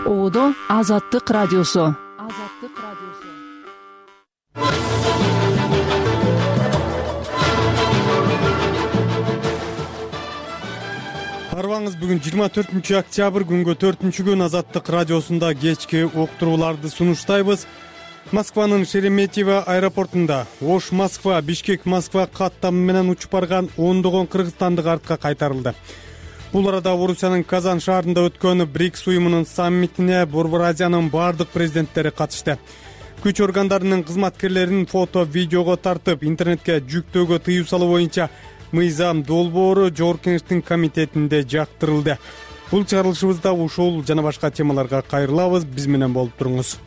Оодо Азаттык радиосу. Арбаңыз бүгүн 24 октябрь күнгө 4-күн Азаттык радиосунда кечки уктурууларды сунуштайбыз. Москванын Шереметьево аэропортунда Ош Москва, Бишкек Москва каттамы менен учуп барган ондогон кыргызстандык артка кайтарылды. Бул арада Орусиянын Казан шаарында өткөн БРИКС уюмунун саммитине Борбор Азиянын бардык президенттери катышты. Күч органдарынын кызматкерлерин фото, видеого тартып, интернетке жүктөөгө тыюу салуу боюнча мыйзам долбоору Жогорку Кеңештин комитетинде жактырылды. Бул чыгарылышыбызда ушул жана башка темаларга кайрылабыз. Биз менен болуп туруңуз.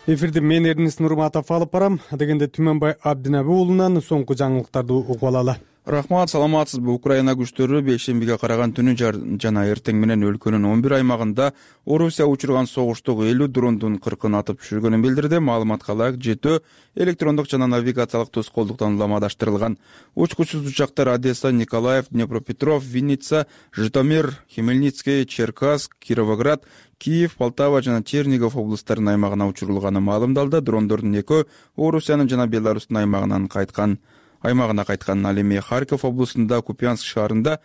Эфирди мен Эрнис Нурматов алып барам. Дегенде Түмөнбай Абдинаби уулунан соңку жаңылыктарды угуп алалы. Рахмат, саламатсызбы? Украина күчтөрү бейшембиге караган түнү жана эртең менен өлкөнүн 11 аймагында Орусия учурган согуштук 50 дрондун 40-ын атып түшүргөнүн билдирди. Маалыматка ылайык, 7 электрондук жана навигациялык тоскоолдуктан уламадаштырылган. Учкучсуз учактар Одесса, Николаев, Днепропетров, Винница, Житомир, Хмельницкий, Черкасск, Кировоград, Киев, Полтава жана Чернигов облустарынын аймагына учурулганы маалымдалды. Дрондордун 2 Орусиянын жана Беларустун аймагына кайткан. Ал эми Харьков облусунда Купянск шаарында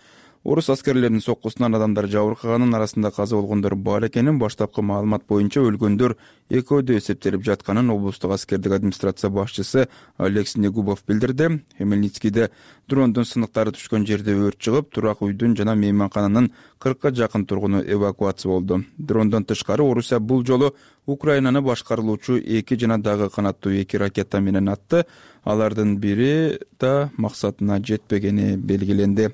орус аскерлеринин соккусунан адамдар жабыркаганын, арасында каза болгондор бар экенин, баштапкы маалымат боюнча өлгөндөр экөөдө эсептелип жатканын облустук аскердик администрация башчысы Алекс Негубов билдирди. Хмельницкийде дрондун сыныктары түшкөн жерде өрт чыгып, турак үйдүн жана мейманкананын 40ка жакын тургуну эвакуация болду. Дрондон тышкары Орусия бул жолу Украинаны башкарылуучу 2 жана дагы канаттуу 2 ракета менен атты. Алардын бири да максатына жетпегени белгиленди.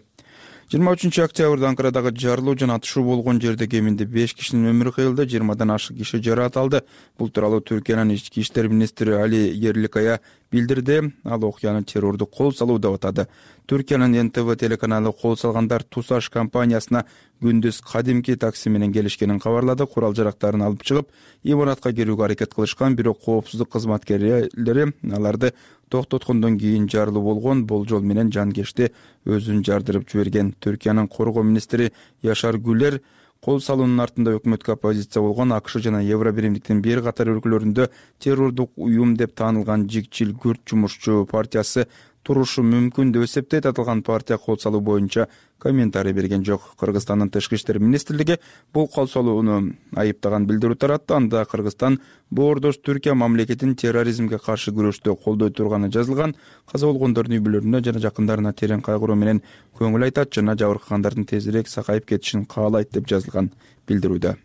23 октябрда Анкарадагы жарылуу жана атышуу болгон жерде кеминде 5 кишинин өмүрү кыйылды, 20дан ашык киши жараат алды. Бул тууралуу Түркиянын ички иштер министри Али Ерликая билдирди. Ал окуяны террорду кол салуу деп атады. Түркиянын НТВ телеканалы кол салгандар Тусаш компаниясына күндүз кадимки такси менен келишкенин кабарлады. Курал жарактарын алып чыгып, имаратка кирүүгө аракет кылышкан, бирок коопсуздук кызматкерлери аларды токтоткондон кийин жарылуу болгон. Болжол менен жанкечти өзүн жардырып жиберген. Түркиянын коргоо министри Яшар Гүлер кол салуунун артында өкмөткө оппозиция болгон АКШ жана Евробиримдиктин бир катар өлкөлөрүндө террордук уюм деп таанылган Жигчил Күрд жумушчу партиясы турушу мүмкүн деп эсептейт. Аталган партия кол салуу боюнча комментарий берген жок. Кыргызстандын тышкы иштер министрлиги бул кол салууну айыптаган билдирүү таратты. Анда Кыргызстан боордош Түркия мамлекетин терроризмге каршы күрөштө колдой турганы жазылган. Каза болгондордун үй бүлөлөрүнө жана жакындарына терең кайгыруу менен көңүл айтат жана жабыркагандардын тезирээк сакайып кетишин каалайт деп жазылган билдирүүдө.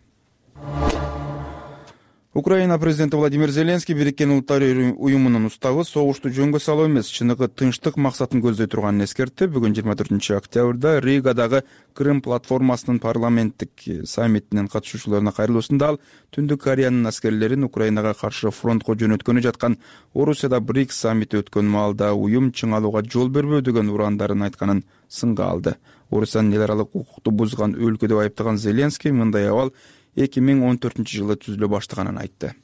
Украина президенти Владимир Зеленский Бириккен Улуттар уюмунун уставы согушту жөнгө салуу эмес, чыныгы тынчтык максатын көздөй турганын эскертти. Бүгүн 24 октябрда Ригадагы Крым платформасынын парламенттик саммитинин катышуучуларына кайрылуусунда ал Түндүк Кореянын аскерлерин Украинага каршы фронтко жөнөткөнү жаткан Орусияда БРИКС саммити өткөн маалда уюм чыңалууга жол бербөө деген урандарын айтканын сынга алды. Орусиянын эл аралык укукту бузган өлкө деп айыптаган Зеленский мындай абал 2014-жылы түзүлө баштаганын айтты.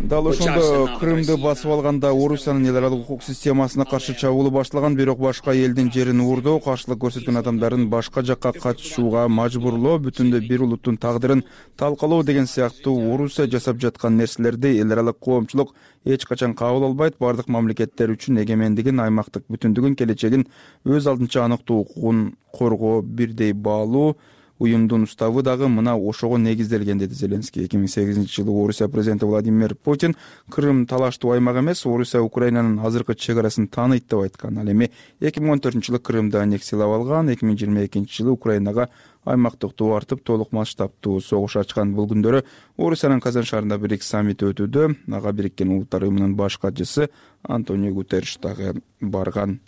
Дал ошондо Крымды басып алганда Орусиянын эл аралык укук системасына каршы чабуулу башталган, бирок башка элдин жерин уурдоо, каршылык көрсөткөн адамдарын башка жакка качууга мажбурлоо, бүтүндөй бир улуттун тагдырын талкалоо деген сыяктуу Орусия жасап жаткан нерселерди эл аралык коомчулук эч качан кабыл албайт. Бардык мамлекеттер үчүн эгемендигин, аймактык бүтүндүгүн, келечегин өз алдынча аныктуу укугун коргоо бирдей баалуу. Уюмдун уставы дагы мына ошого негизделген, деди Зеленский. 2008-жылы Орусия президенти Владимир Путин Крым талаштуу аймак эмес, Орусия Украинанын азыркы чек арасын тааныйт деп айткан. Ал эми 2014-жылы Крымды аннексиялап алган, 2022-жылы Украинага аймактык туу артып, толук масштабтуу согуш ачкан. Бул күндөрү Орусиянын Казан шаарында БРИКС саммити өтүүдө. Ага Бириккен Улуттар уюмунун баш катчысы Антонио Гутерриш дагы барган.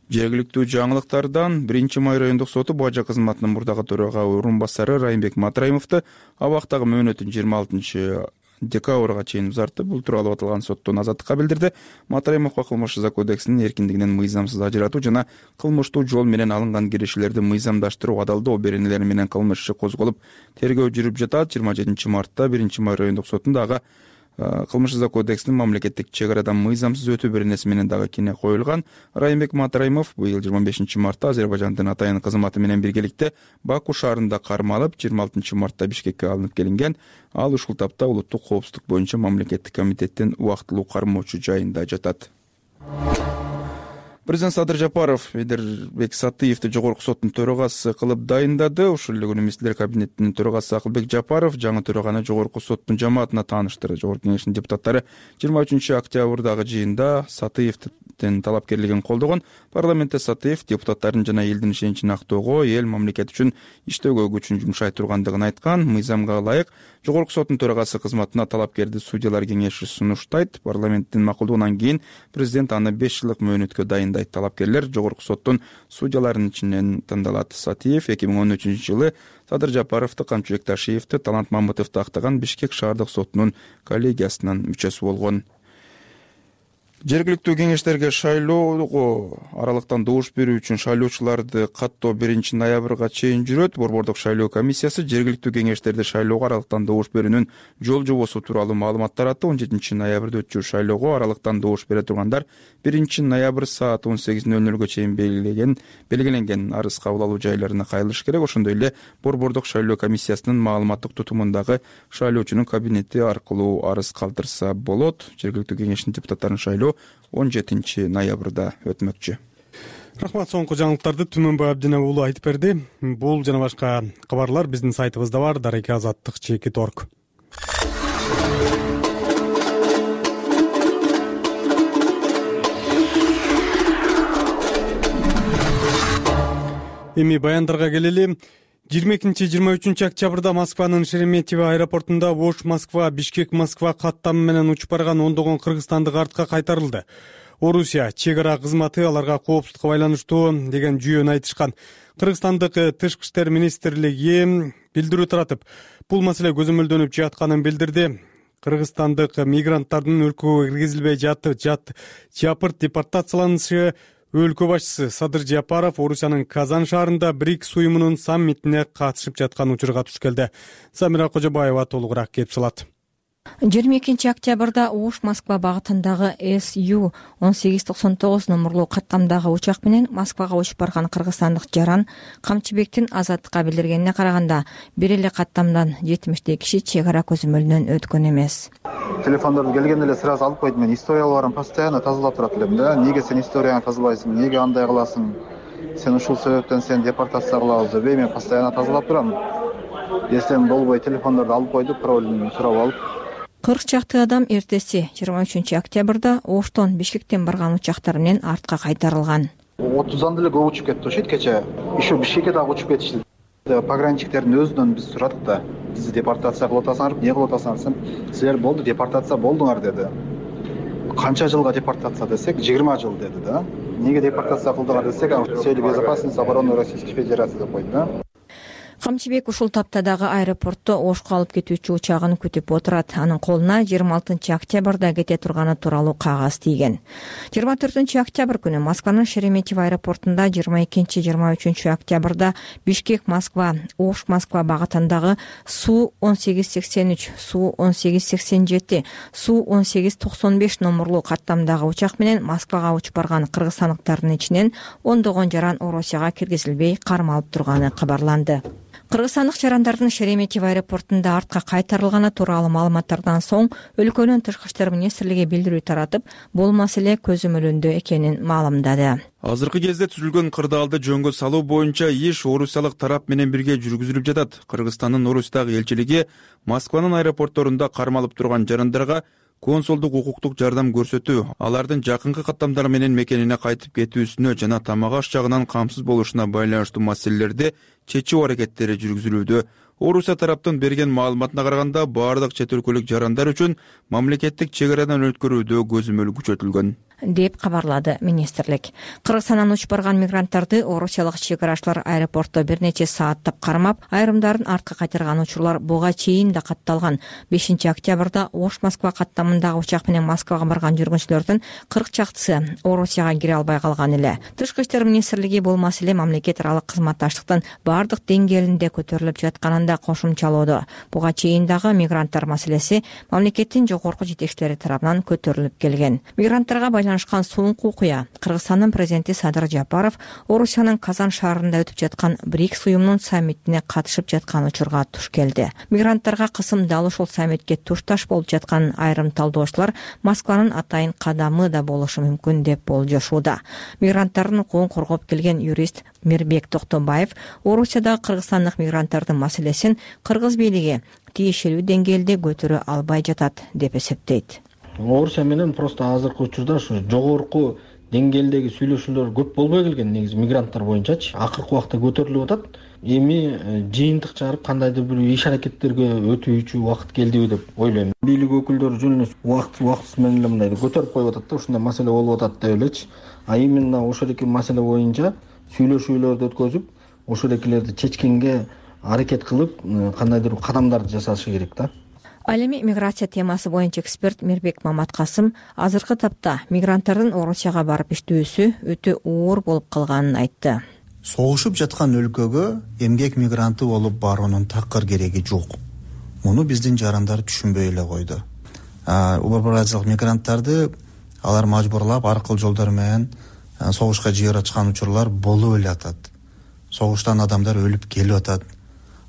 Жергиликтүү жаңылыктардан 1-Май райондук соту бажа кызматынын мурдагы төрага орун басары Райымбек Матраимовду абактагы мөөнөтүн 26 декабрга чейин узартты. Бул тууралуу аталган соттун азаттыкка билдирди. Матраимовго кылмыш жаза кодексинин эркиндигинен мыйзамсыз ажыратуу жана кылмыштуу жол менен алынган киришелерди мыйзамдаштыруу адалдоо беренелери менен кылмыш иши козголуп, тергөө жүрүп жатат. 27 мартта 1-Май райондук сотунда ага кылмыш жаза кодексинин мамлекеттик чек арадан мыйзамсыз өтүү беренеси менен дагы кине коюлган. Райымбек Матраимов быйыл 25 мартта Азербайжандын атайын кызматы менен биргеликте Баку шаарында кармалып, 26 мартта Бишкекке алынып келинген. Ал ушул тапта улуттук коопсуздук боюнча мамлекеттик комитеттин убактылуу кармоочу жайында жатат. Президент Садыр Жапаров Эдербек Сатыевди жогорку соттун төрагасы кылып дайындады. Ушул эле күнү министрлер кабинетинин төрагасы Акылбек Жапаров жаңы төраганы жогорку соттун жамаатына тааныштырды. Жогорку кеңештин депутаттары 23 октябрдагы жыйында Сатыевдин талапкерлигин колдогон. Парламентте Сатыев депутаттардын жана элдин ишеничин актоого, эл мамлекет үчүн иштөөгө күчүн жумшай тургандыгын айткан. Мыйзамга ылайык жогорку соттун төрагасы кызматына талапкерди судьялар кеңеши сунуштайт. Парламенттин макулдугунан кийин президент аны 5 жылдык мөөнөткө дайындайт. Талапкерлер жогорку соттун судьяларынын ичинен тандалат. Сатыев 2013-жылы Садыр Жапаровду, Камчы Бекташиевди, Талант Мамытовду актаган Бишкек шаардык сотунун коллегиясынын мүчөсү болгон. Жергиликтүү кеңештерге шайлоого аралыктан добуш берүү үчүн шайлоочуларды каттоо 1 ноябрга чейин жүрөт. Борбордук шайлоо комиссиясы жергиликтүү кеңештерди шайлоого аралыктан добуш берүүнүн жол жобосу тууралуу маалымат таратты. 17 ноябрда өтчү шайлоого аралыктан добуш бере тургандар 1 ноябрь саат 18:00 чейин белгиленген арыз кабыл алуу жайларына кайрылыш керек. Ошондой эле Борбордук шайлоо комиссиясынын маалыматтык тутумундагы шайлоочунун кабинети аркылуу арыз калтырса болот. Жергиликтүү кеңештин депутаттарынын шайлоо 17 ноябрда өтмөкчү. Рахмат, соңку жаңылыктарды Түмөнбай Абдина уулу айтып берди. Бул жана башка кабарлар биздин сайтыбызда бар, darekeazаттыk.org. Эми баяндарга келели. 22-23 октябрда Москванын Шереметьево аэропортунда Ош-Москва, Бишкек-Москва каттамы менен учуп барган ондогон кыргызстандык артка кайтарылды. Орусия чек ара кызматы аларга коопсуздукка байланыштуу деген жүйөнү айтышкан. Кыргызстандык Тышкы иштер министрлиги билдирүү таратып, бул маселе көзөмөлдөнүп жатканын билдирди. Кыргызстандык мигранттардын өлкөгө киргизилбей жапырт депортацияланышы өлкө башчысы Садыр Жапаров Орусиянын Казан шаарында БРИКС уюмунун саммитине катышып жаткан учурга туш келди. Самира Кожобаева толугураак кеп салат. 22 октябрда Ош-Москва багытындагы СУ 1899 номерлуу каттамдагы учак менен Москвага учуп барган кыргызстандык жаран Камчыбектин Азаттыкка билдиргенине караганда, бир эле каттамдан 70 киши чек ара көзөмөлүнөн өткөн эмес. Телефондорду келгенде эле сразу алып койдум. Мен историяларын постоянно тазалап турат элем да. Неге сен историяны тазалайсың? Неге андай кыласың? Сен ушул себептен сен депортация кылабыз деп мен постоянно тазалап турам. Эсем болбой телефондорду алып койдук, паролун сурап алып. 40 чакты адам эртеси 23 октябрда Оштон Бишкектен барган учактар менен артка кайтарылган. 30дан деле көп учуп кетти ошойт кече. Еще Бишкекке дагы учуп кетишти. Пограничниктердин өзүнөн биз сурадык да. Бизди депортация кылып атасыңар, эмне кылып атасыңар? Силер болду, депортация болдуңар деди. Канча жылга депортация десек, 20 жыл деди да. Неге депортация кылдыңар десек, с целью безопасности обороны Российской Федерации деп койду да. Камчыбек ушул таптадагы аэропортто Ошко алып кетүүчү учагын күтүп отурат. Анын колуна 26 октябрда кете турганы тууралуу кагаз тийген. 24 октябрь күнү Москванын Шереметьево аэропортунда, 22-23 октябрда Бишкек-Москва, Ош-Москва багытындагы Су 1883, Су 1887, Су 1895 номерлуу каттамдагы учак менен Москвага учуп барган кыргызстандыктардын ичинен ондогон жаран Орусияга киргизилбей кармалып турганы кабарланды. Кыргызстандык жарандардын Шереметьево аэропортунда артка кайтарылганы тууралуу маалыматтардан соң өлкөнүн Тышкы иштер министрлиги билдирүү таратып, бул маселе көзөмөлүндө экенин маалымдады. Азыркы кезде түзүлгөн кырдаалды жөнгө салуу боюнча иш орусиялык тарап менен бирге жүргүзүлүп жатат. Кыргызстандын Орусиядагы элчилиги Москванын аэропортторунда кармалып турган жарандарга консулдук укуктук жардам көрсөтүү, алардын жакынкы каттамдар менен мекенине кайтып кетүүсүнө жана тамак аш жагынан камсыз болушуна байланыштуу маселелерди чечүү аракеттери жүргүзүлүүдө. Орусия тараптын берген маалыматына караганда, баардык чет өлкөлүк жарандар үчүн мамлекеттик чек арадан өткөрүүдө көзөмөл күчөтүлгөн. деп кабарлады министрлик. Кыргызстандан учуп барган мигранттарды орусиялык чек арачылар аэропортто бир нече сааттап кармап, айрымдарын артка кайтарган учурлар буга чейин да катталган. 5-октябрда Ош-Москва каттамындагы учак менен Москвага барган жүргүнчүлөрдүн 40 чактысы Орусияга кире албай калган эле. Тышкы иштер министрлиги бул маселе мамлекет аралык кызматташтыктын бардык деңгээлинде көтөрүлүп жатканын да кошумчалоодо. Буга чейин дагы мигранттар маселеси мамлекеттин жогорку жетекчилери тарабынан көтөрүлүп келген. Мигранттарга байланышкан соңку окуя Кыргызстандын президенти Садыр Жапаров Орусиянын Казан шаарында өтүп жаткан БРИКС уюмунун саммитине катышып жаткан учурга туш келди. Мигранттарга кысым дал ушул саммитке тушташ болуп жаткан айрым талдоочулар Москванын атайын кадамы да болушу мүмкүн деп болжошууда. Мигранттардын укугун коргоп келген юрист Мирбек Токтобаев Орусиядагы кыргызстандык мигранттардын маселесин кыргыз бийлиги тиешелүү деңгээлде көтөрө албай жатат деп эсептейт. Орусия менен просто азыркы учурда ушу жогорку деңгээлдеги сүйлөшүүлөр көп болбой келген негизи мигранттар боюнчачы. Акыркы убакта көтөрүлүп атат. Эми жыйынтык чыгарып кандайдыр бир иш аракеттерге өтүүчү убакыт келдиби деп ойлойм. Бийлик өкүлдөрү жөн эле убакыт менен эле мындай көтөрүп коюп атат да, ушундай маселе болуп атат деп элечи. А именно ошол эки маселе боюнча сүйлөшүүлөрдү өткөзүп, ошол экилерди чечкенге аракет кылып, кандайдыр кадамдарды жасашы керек да. Ал эми миграция темасы боюнча эксперт Мирбек Маматкасым азыркы тапта мигранттардын Орусияга барып иштөөсү өтө оор болуп калганын айтты. Согушуп жаткан өлкөгө эмгек мигранты болуп баруунун такыр кереги жок. Муну биздин жарандар түшүнбөй эле койду. Убарбаразиялык мигранттарды алар мажбурлап аркыл жолдор менен согушка жиберип ачкан учурлар болуп эле атат. Согуштан адамдар өлүп келип атат.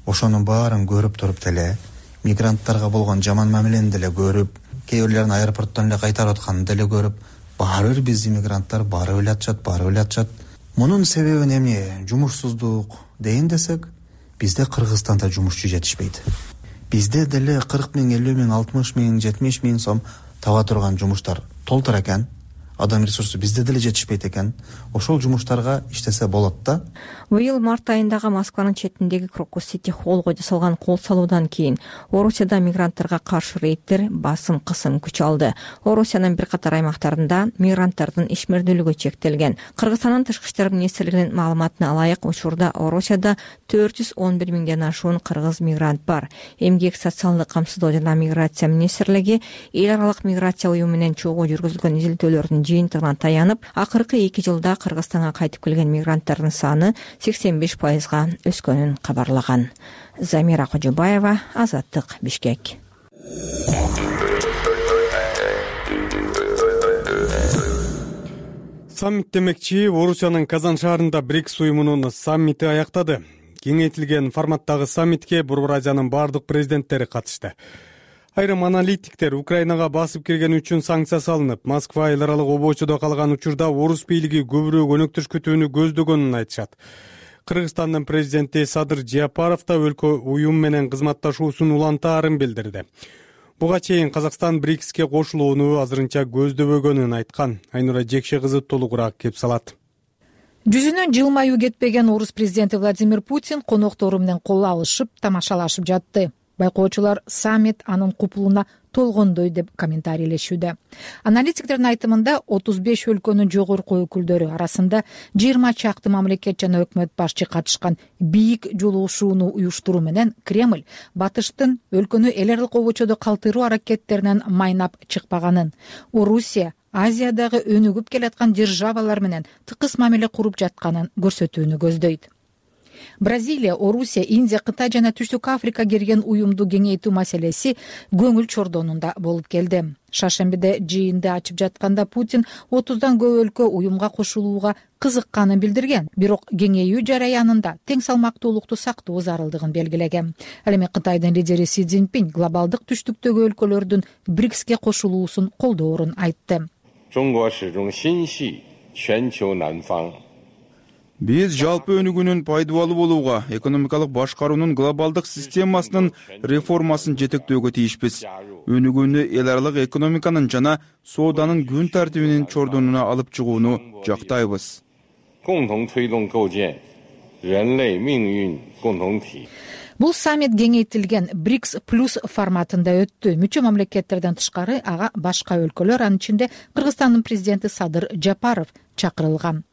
Ошонун баарын көрүп туруп деле, мигранттарга болгон жаман мамилени деле көрүп, кээ бирлерин аэропорттон эле кайтарып атканын деле көрүп, баары бир биздин мигранттар барып эле атышат. Мунун себеби эмне? Жумушсуздук дейин десек, бизде Кыргызстанда жумушчу жетишпейт. Бизде деле 40 миң, 50 миң, 60 миң, 70 миң сом таба турган жумуштар толтур экен. Адам ресурсу бизде деле жетишпейт экен. Ошол жумуштарга иштесе болот да. Быйыл март айындагы Москванын четиндеги Крокус-Сити холлго жасалган кол салуудан кийин Орусияда мигранттарга каршы рейдтер басым кысым күч алды. Орусиянын бир катар аймактарында мигранттардын ишмердүүлүгү чектелген. Кыргызстандын тышкы иштер министрлигинин маалыматына ылайык, учурда Орусияда 411 миңден ашуун кыргыз мигрант бар. Эмгек социалдык камсыздоо жана миграция министрлиги эл аралык миграция уюму менен чогуу жүргүзүлгөн изилдөөлөрдүн жыйынтыгына таянып, акыркы 2 жылда Кыргызстанга кайтып келген мигранттардын саны 85%га өскөнүн кабарлаган. Замира Кожобаева, Азаттык, Бишкек. Саммит демекчи, Орусиянын Казан шаарында БРИКС уюмунун саммити аяктады. Кеңейтилген форматтагы саммитке Бурбуразиянын бардык президенттери катышты. Айрым аналитиктер Украинага басып кирген үчүн санкция салынып, Москва эл аралык обочодо калган учурда орус бийлиги көбүрөөк өнөктөш күтүүнү көздөгөнүн айтышат. Кыргызстандын президенти Садыр Жапаров да өлкө уюм менен кызматташуусун улантаарын билдирди. Буга чейин Казакстан БРИКСке кошулууну азырынча көздөбөгөнүн айткан. Айнура Жекше кызы толугураак кеп салат. Жүзүнөн жылмаюу кетпеген орус президенти Владимир Путин коноктору менен кол алышып, тамашалашып жатты. Байкоочулар саммит анын купулуна толгондой деп комментарийлешүүдө. Аналитиктердин айтымында 35 өлкөнүн жогорку өкүлдөрү арасында 20 чакты мамлекет жана өкмөт башчы катышкан бийик жолугушууну уюштуруу менен Кремль батыштын өлкөнү эл аралык обочодо калтыруу аракеттеринен майнап чыкпаганын, Орусия Азиядагы өнүгүп келаткан державалар менен тыкыз мамиле куруп жатканын көрсөтүүнү көздөйт. Бразилия, Орусия, Индия, Кытай жана Түштүк Африка кирген уюмду кеңейтүү маселеси көңүл чордонунда болуп келди. Шаршембиде жыйынды ачып жатканда Путин 30дан көп өлкө уюмга кошулууга кызыкканын билдирген, бирок кеңейүү жараянында тең салмактуулукту сактоо зарылдыгын белгилеген. Ал эми Кытайдын лидери Си Цзиньпин глобалдык түштүктөгү өлкөлөрдүн БРИКСке кошулуусун колдоорун айтты. Биз жалпы өнүгүүнүн пайдалуу болууга, экономикалык башкаруунун глобалдык системасынын реформасын жетектөөгө тийишпиз. Өнүгүүнү эл аралык экономиканын жана сооданын күн тартибинин чордонуна алып чыгууну жактайбыз. Бул саммит кеңейтилген БРИКС плюс форматында өттү. Мүчө мамлекеттерден тышкары ага башка өлкөлөр, анын ичинде Кыргызстандын президенти Садыр Жапаров чакырылган.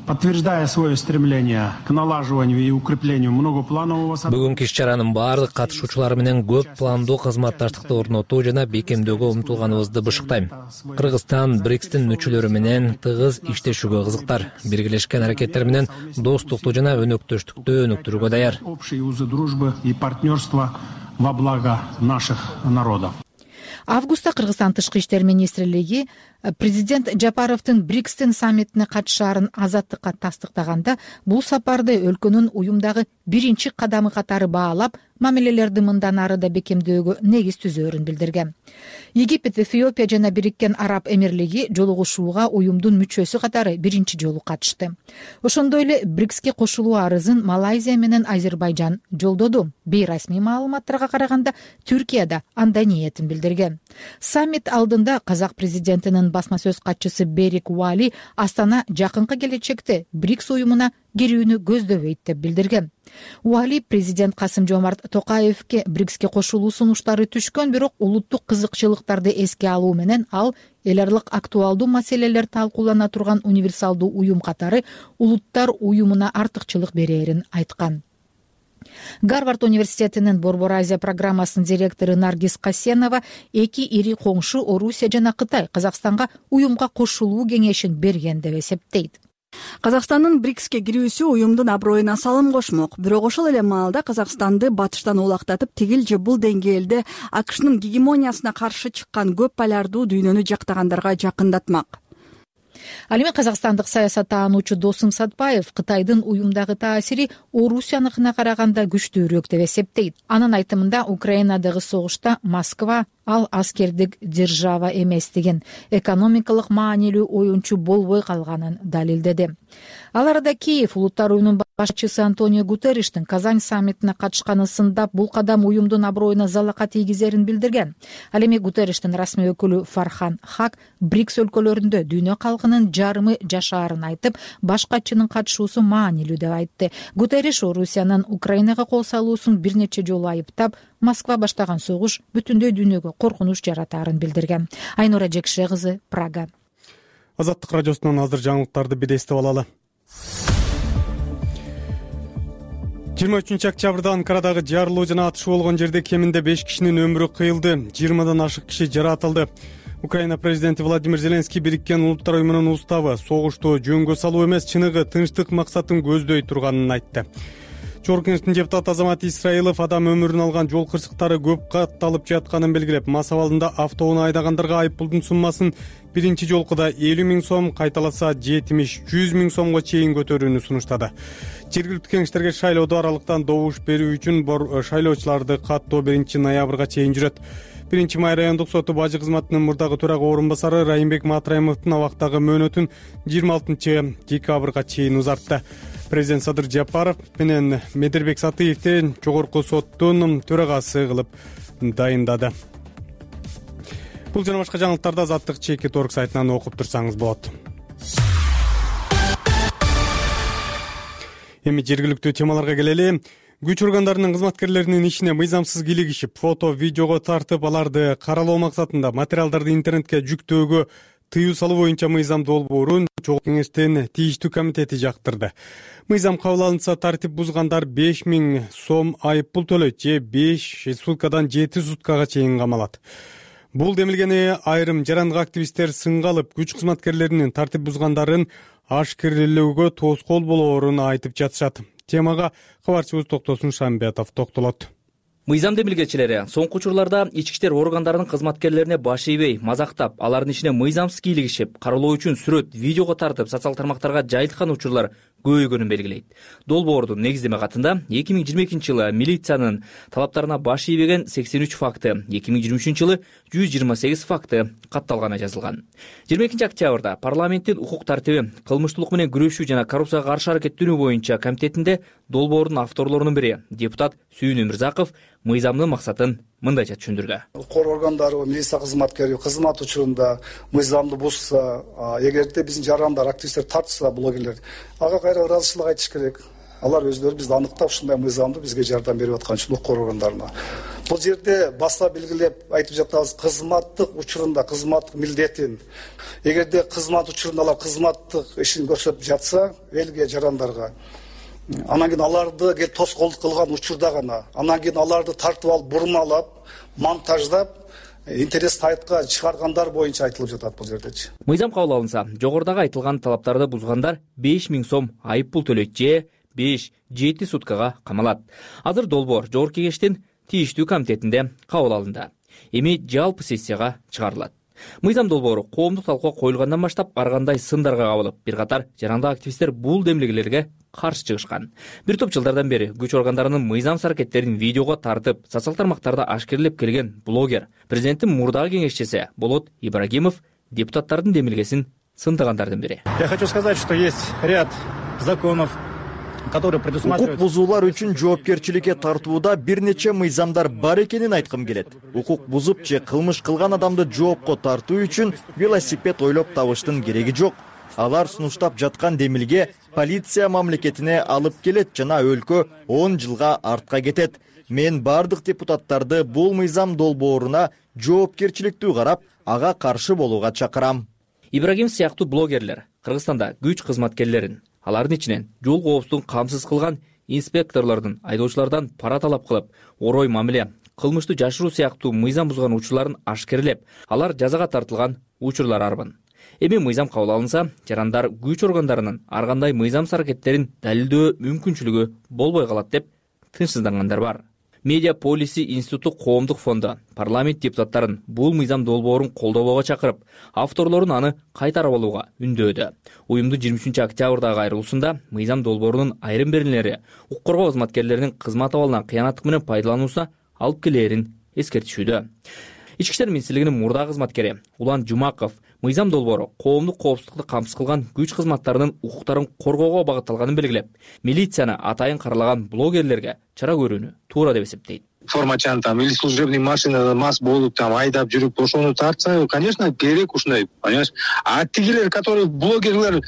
Подтверждая свое стремление к налаживанию и укреплению многопланового сотрудничества. Бүгүнкү иш-чаранын баардык катышуучулары менен көп пландуу кызматташтыкты орнотуу жана бекемдөөгө умтулганыбызды бышыктайм. Кыргызстан БРИКСтин мүчөлөрү менен тыгыз иштешүүгө кызыктар. Биргелешкен аракеттер менен достукту жана өнөктөштүктү өнүктүрүүгө даяр. Общие узы дружбы и партнерства во благо наших народов. Августта Кыргызстан тышкы иштер министрлиги президент Жапаровдун БРИКСтин саммитине катышаарын азаттыкка тастыктаганда, бул сапарды өлкөнүн уюмдагы биринчи кадамы катары баалап, мамилелерди мындан ары да бекемдөөгө негиз түзөөрүн билдирген. Египет, Эфиопия жана Бириккен Араб Эмирлиги жолугушууга уюмдун мүчөсү катары биринчи жолу катышты. Ошондой эле БРИКСке кошулуу арызын Малайзия менен Азербайжан жолдоду. Бейрасмий маалыматтарга караганда, Түркия да андай ниетин билдирген. Саммит алдында казак президентинин басма сөз катчысы Берик Уали Астана жакынкы келечекте БРИКС уюмуна кирүүнү көздөбөйт деп билдирген. Уали президент Касым-Жомарт Токаевке БРИКСке кошулуу сунуштары түшкөн, бирок улуттук кызыкчылыктарды эске алуу менен ал эл аралык актуалдуу маселелер талкуулана турган универсалдуу уюм катары улуттар уюмуна артыкчылык берээрин айткан. Гарвард университетинин Борбор Азия программасынын директору Наргиз Касенова эки ири коңшу Орусия жана Кытай Казакстанга уюмга кошулуу кеңешин берген деп эсептейт. Казакстандын БРИКСке кирүүсү уюмдун аброюна салым кошмок. Бирок ошол эле маалда Казакстанды батыштан улактатып, тигил же бул деңгээлде АКШнын гегемониясына каршы чыккан көп полярдуу дүйнөнү жактагандарга жакындатмак. Ал эми казакстандык саясаттануучу Досум Сатпаев Кытайдын уюмдагы таасири Орусияныкына караганда күчтүүрөөк деп эсептейт. Анын айтымында, Украинадагы согушта Москва ал аскердик держава эместигин, экономикалык маанилүү оюнчу болбой калганын далилдеди. Ал арада Киев улуттар уюмунун башчысы Антонио Гутерриштин Казань саммитине катышканын сындап, бул кадам уюмдун аброюна залака тийгизерин билдирген. Ал эми Гутерриштин расмий өкүлү Фархан Хак БРИКС өлкөлөрүндө дүйнө калкынын жарымы жашаарын айтып, баш катчынын катышуусу маанилүү деп айтты. Гутерриш Орусиянын Украинага кол салуусун бир нече жолу айыптап, Москва баштаган согуш бүтүндөй дүйнөгө коркунуч жаратаарын билдирген. Айнура Жекше кызы, Прага. Азаттык радиосунан азыр жаңылыктарды бир эстеп алалы. 23 октябрда Анкарадагы жарылуу жана атышуу болгон жерде кеминде 5 кишинин өмүрү кыйылды, 20дан ашык киши жаратылды. Украина президенти Владимир Зеленский Бириккен Улуттар уюмунун уставы согушту жөнгө салуу эмес, чыныгы тынчтык максатын көздөй турганын айтты. Чогорку кеңештин депутаты Азамат Исраилов адам өмүрүн алган жол кырсыктары көп катталып жатканын белгилеп, мас абалында автоунаа айдагандарга айыппулдун суммасын биринчи жолкуда 50 000 сом, кайталаса 70-100 000 сомго чейин көтөрүүнү сунуштады. Жергиликтүү кеңештерге шайлоодо аралыктан добуш берүү үчүн шайлоочуларды каттоо 1 ноябрга чейин жүрөт. 1 май райондук соту бажы кызматынын мурдагы төрага орун басары Райымбек Матраимовдун абактагы мөөнөтүн 26 декабрга чейин узартты. Президент Садыр Жапаров менен Медербек Сатыевди жогорку соттун төрагасы кылып дайындады. Бул жана башка жаңылыктарды Азаттык ЧК сайтынан окуп турсаңыз болот. Эми жергиликтүү темаларга келели. Күч органдарынын кызматкерлеринин ишине мыйзамсыз кийлигишип, фото, видеого тартып, аларды каралоо максатында материалдарды интернетке жүктөөгө тыюу салуу боюнча мыйзам долбоорун Чогорку кеңештин тийиштүү комитети жактырды. Мыйзам кабыл алынса, тартип бузгандар 5 000 сом айыппул төлөйт же 5 суткадан 7 суткага чейин камалат. Бул демилгени айрым жарандык активисттер сынга алып, күч кызматкерлеринин тартип бузгандарын ашкерлөөгө тоскоол болоорун айтып жатышат. Темага кабарчыбыз Токтосун Шамбетов токтолот. Мыйзам демилгечилери соңку учурларда ички иштер органдарынын кызматкерлерине баш ийбей, мазактап, алардын ишине мыйзамсыз кийлигишип, каралоо үчүн сүрөт, видеого тартып, социалдык тармактарга жайылткан учурлар көбөйгөнүн белгилейт. Долбоордун негиздеме катында 2022 жылы милициянын талаптарына баш ийбеген 83 факты, 2023 жылы 128 факты катталганы жазылган. 22 октябрда парламенттин укук тартиби, кылмыштуулук менен күрөшүү жана коррупцияга каршы аракеттенүү боюнча комитетинде долбоордун авторлорунун бири депутат Сүйүн Өмүрзаков мыйзамдын максатын мындайча түшүндүргөн. Укук органдары, милиция кызматкери кызмат учурунда мыйзамды бузса, эгерде биздин жарандар, активисттер тартса блогерлер, ага кайра ыраазычылык айтыш керек. алар өздөрү бизди аныктап ушундай мыйзамды бизге жардам берип аткан үчүн укук органдарына бул жерде баса белгилеп айтып жатабыз, кызматтык учурунда кызматтык милдетин, эгерде кызмат учурунда алар кызматтык ишин көрсөтүп жатса элге жарандарга, анан кийин аларды келип тоскоолдук кылган учурда гана, анан кийин аларды тартып алып бурмалап, монтаждап интернет сайтка чыгаргандар боюнча айтылып жатат бул жердечи. Мыйзам кабыл алынса, жогорудагы айтылган талаптарды бузгандар 5000 сом айып пул төлөйт же 5-7 суткага камалат. Азыр долбоор Жогорку Кеңештин тийиштүү комитетинде кабыл алынды. Эми жалпы сессияга чыгарылат. Мыйзам долбоору коомдук талкууга коюлгандан баштап ар кандай сындарга кабылып, бир катар жарандык активисттер бул демилгелерге каршы чыгышкан. Бир топ жылдардан бери күч органдарынын мыйзамсыз аракеттерин видеого тартып, социалдык тармактарда ашкерлеп келген блогер, президенттин мурдагы кеңешчиси Болот Ибрагимов депутаттардын демилгесин сындагандардын бири. Я хочу сказать, что есть ряд законов, укук бузуулар үчүн жоопкерчиликке тартууда бир нече мыйзамдар бар экенин айткым келет. Укук бузуп же кылмыш кылган адамды жоопко тартуу үчүн велосипед ойлоп табыштын кереги жок. Алар сунуштап жаткан демилге полиция мамлекетине алып келет жана өлкө 10 жылга артка кетет. Мен бардык депутаттарды бул мыйзам долбооруна жоопкерчиликтүү карап, ага каршы болууга чакырам. Ибрагим сыяктуу блогерлер Кыргызстанда күч кызматкерлерин, алардын ичинен жол коопсуздугун камсыз кылган инспекторлордун айдоочулардан пара талап кылып, орой мамиле, кылмыштуу жашыруу сыяктуу мыйзам бузган учурларын ашкерлеп, алар жазага тартылган учурлар арбын. Эми мыйзам кабыл алынса, жарандар күч органдарынын ар кандай мыйзамсыз аракеттерин далилдөө мүмкүнчүлүгү болбой калат деп тынчсыздангандар бар. Медиа полиси институту коомдук фонду парламент депутаттарын бул мыйзам долбоорун колдобого чакырып, авторлорун аны кайтарып алууга үндөөдү. Уюмдун 23 октябрдагы айрылуусунда мыйзам долбоорунун айрым беренелери укук коргоо кызматкерлеринин кызмат абалынан кыянаттык менен пайдалануусуна алып келээрин эскертишүүдө. Ички иштер министрлигинин мурдагы кызматкери Улан Жумаков мыйзам долбоору коомдук коопсуздукту камсыз кылган күч кызматтарынын укуктарын коргоого багытталганын белгилеп, милицияны атайын каралаган блогерлерге чара көрүүнү туура деп эсептейт. Формачан или служебный машина мас болуп айдап жүрүп ошону тартса, конечно, керек ушундай, понимаешь? А тигилер, которые блогерлер,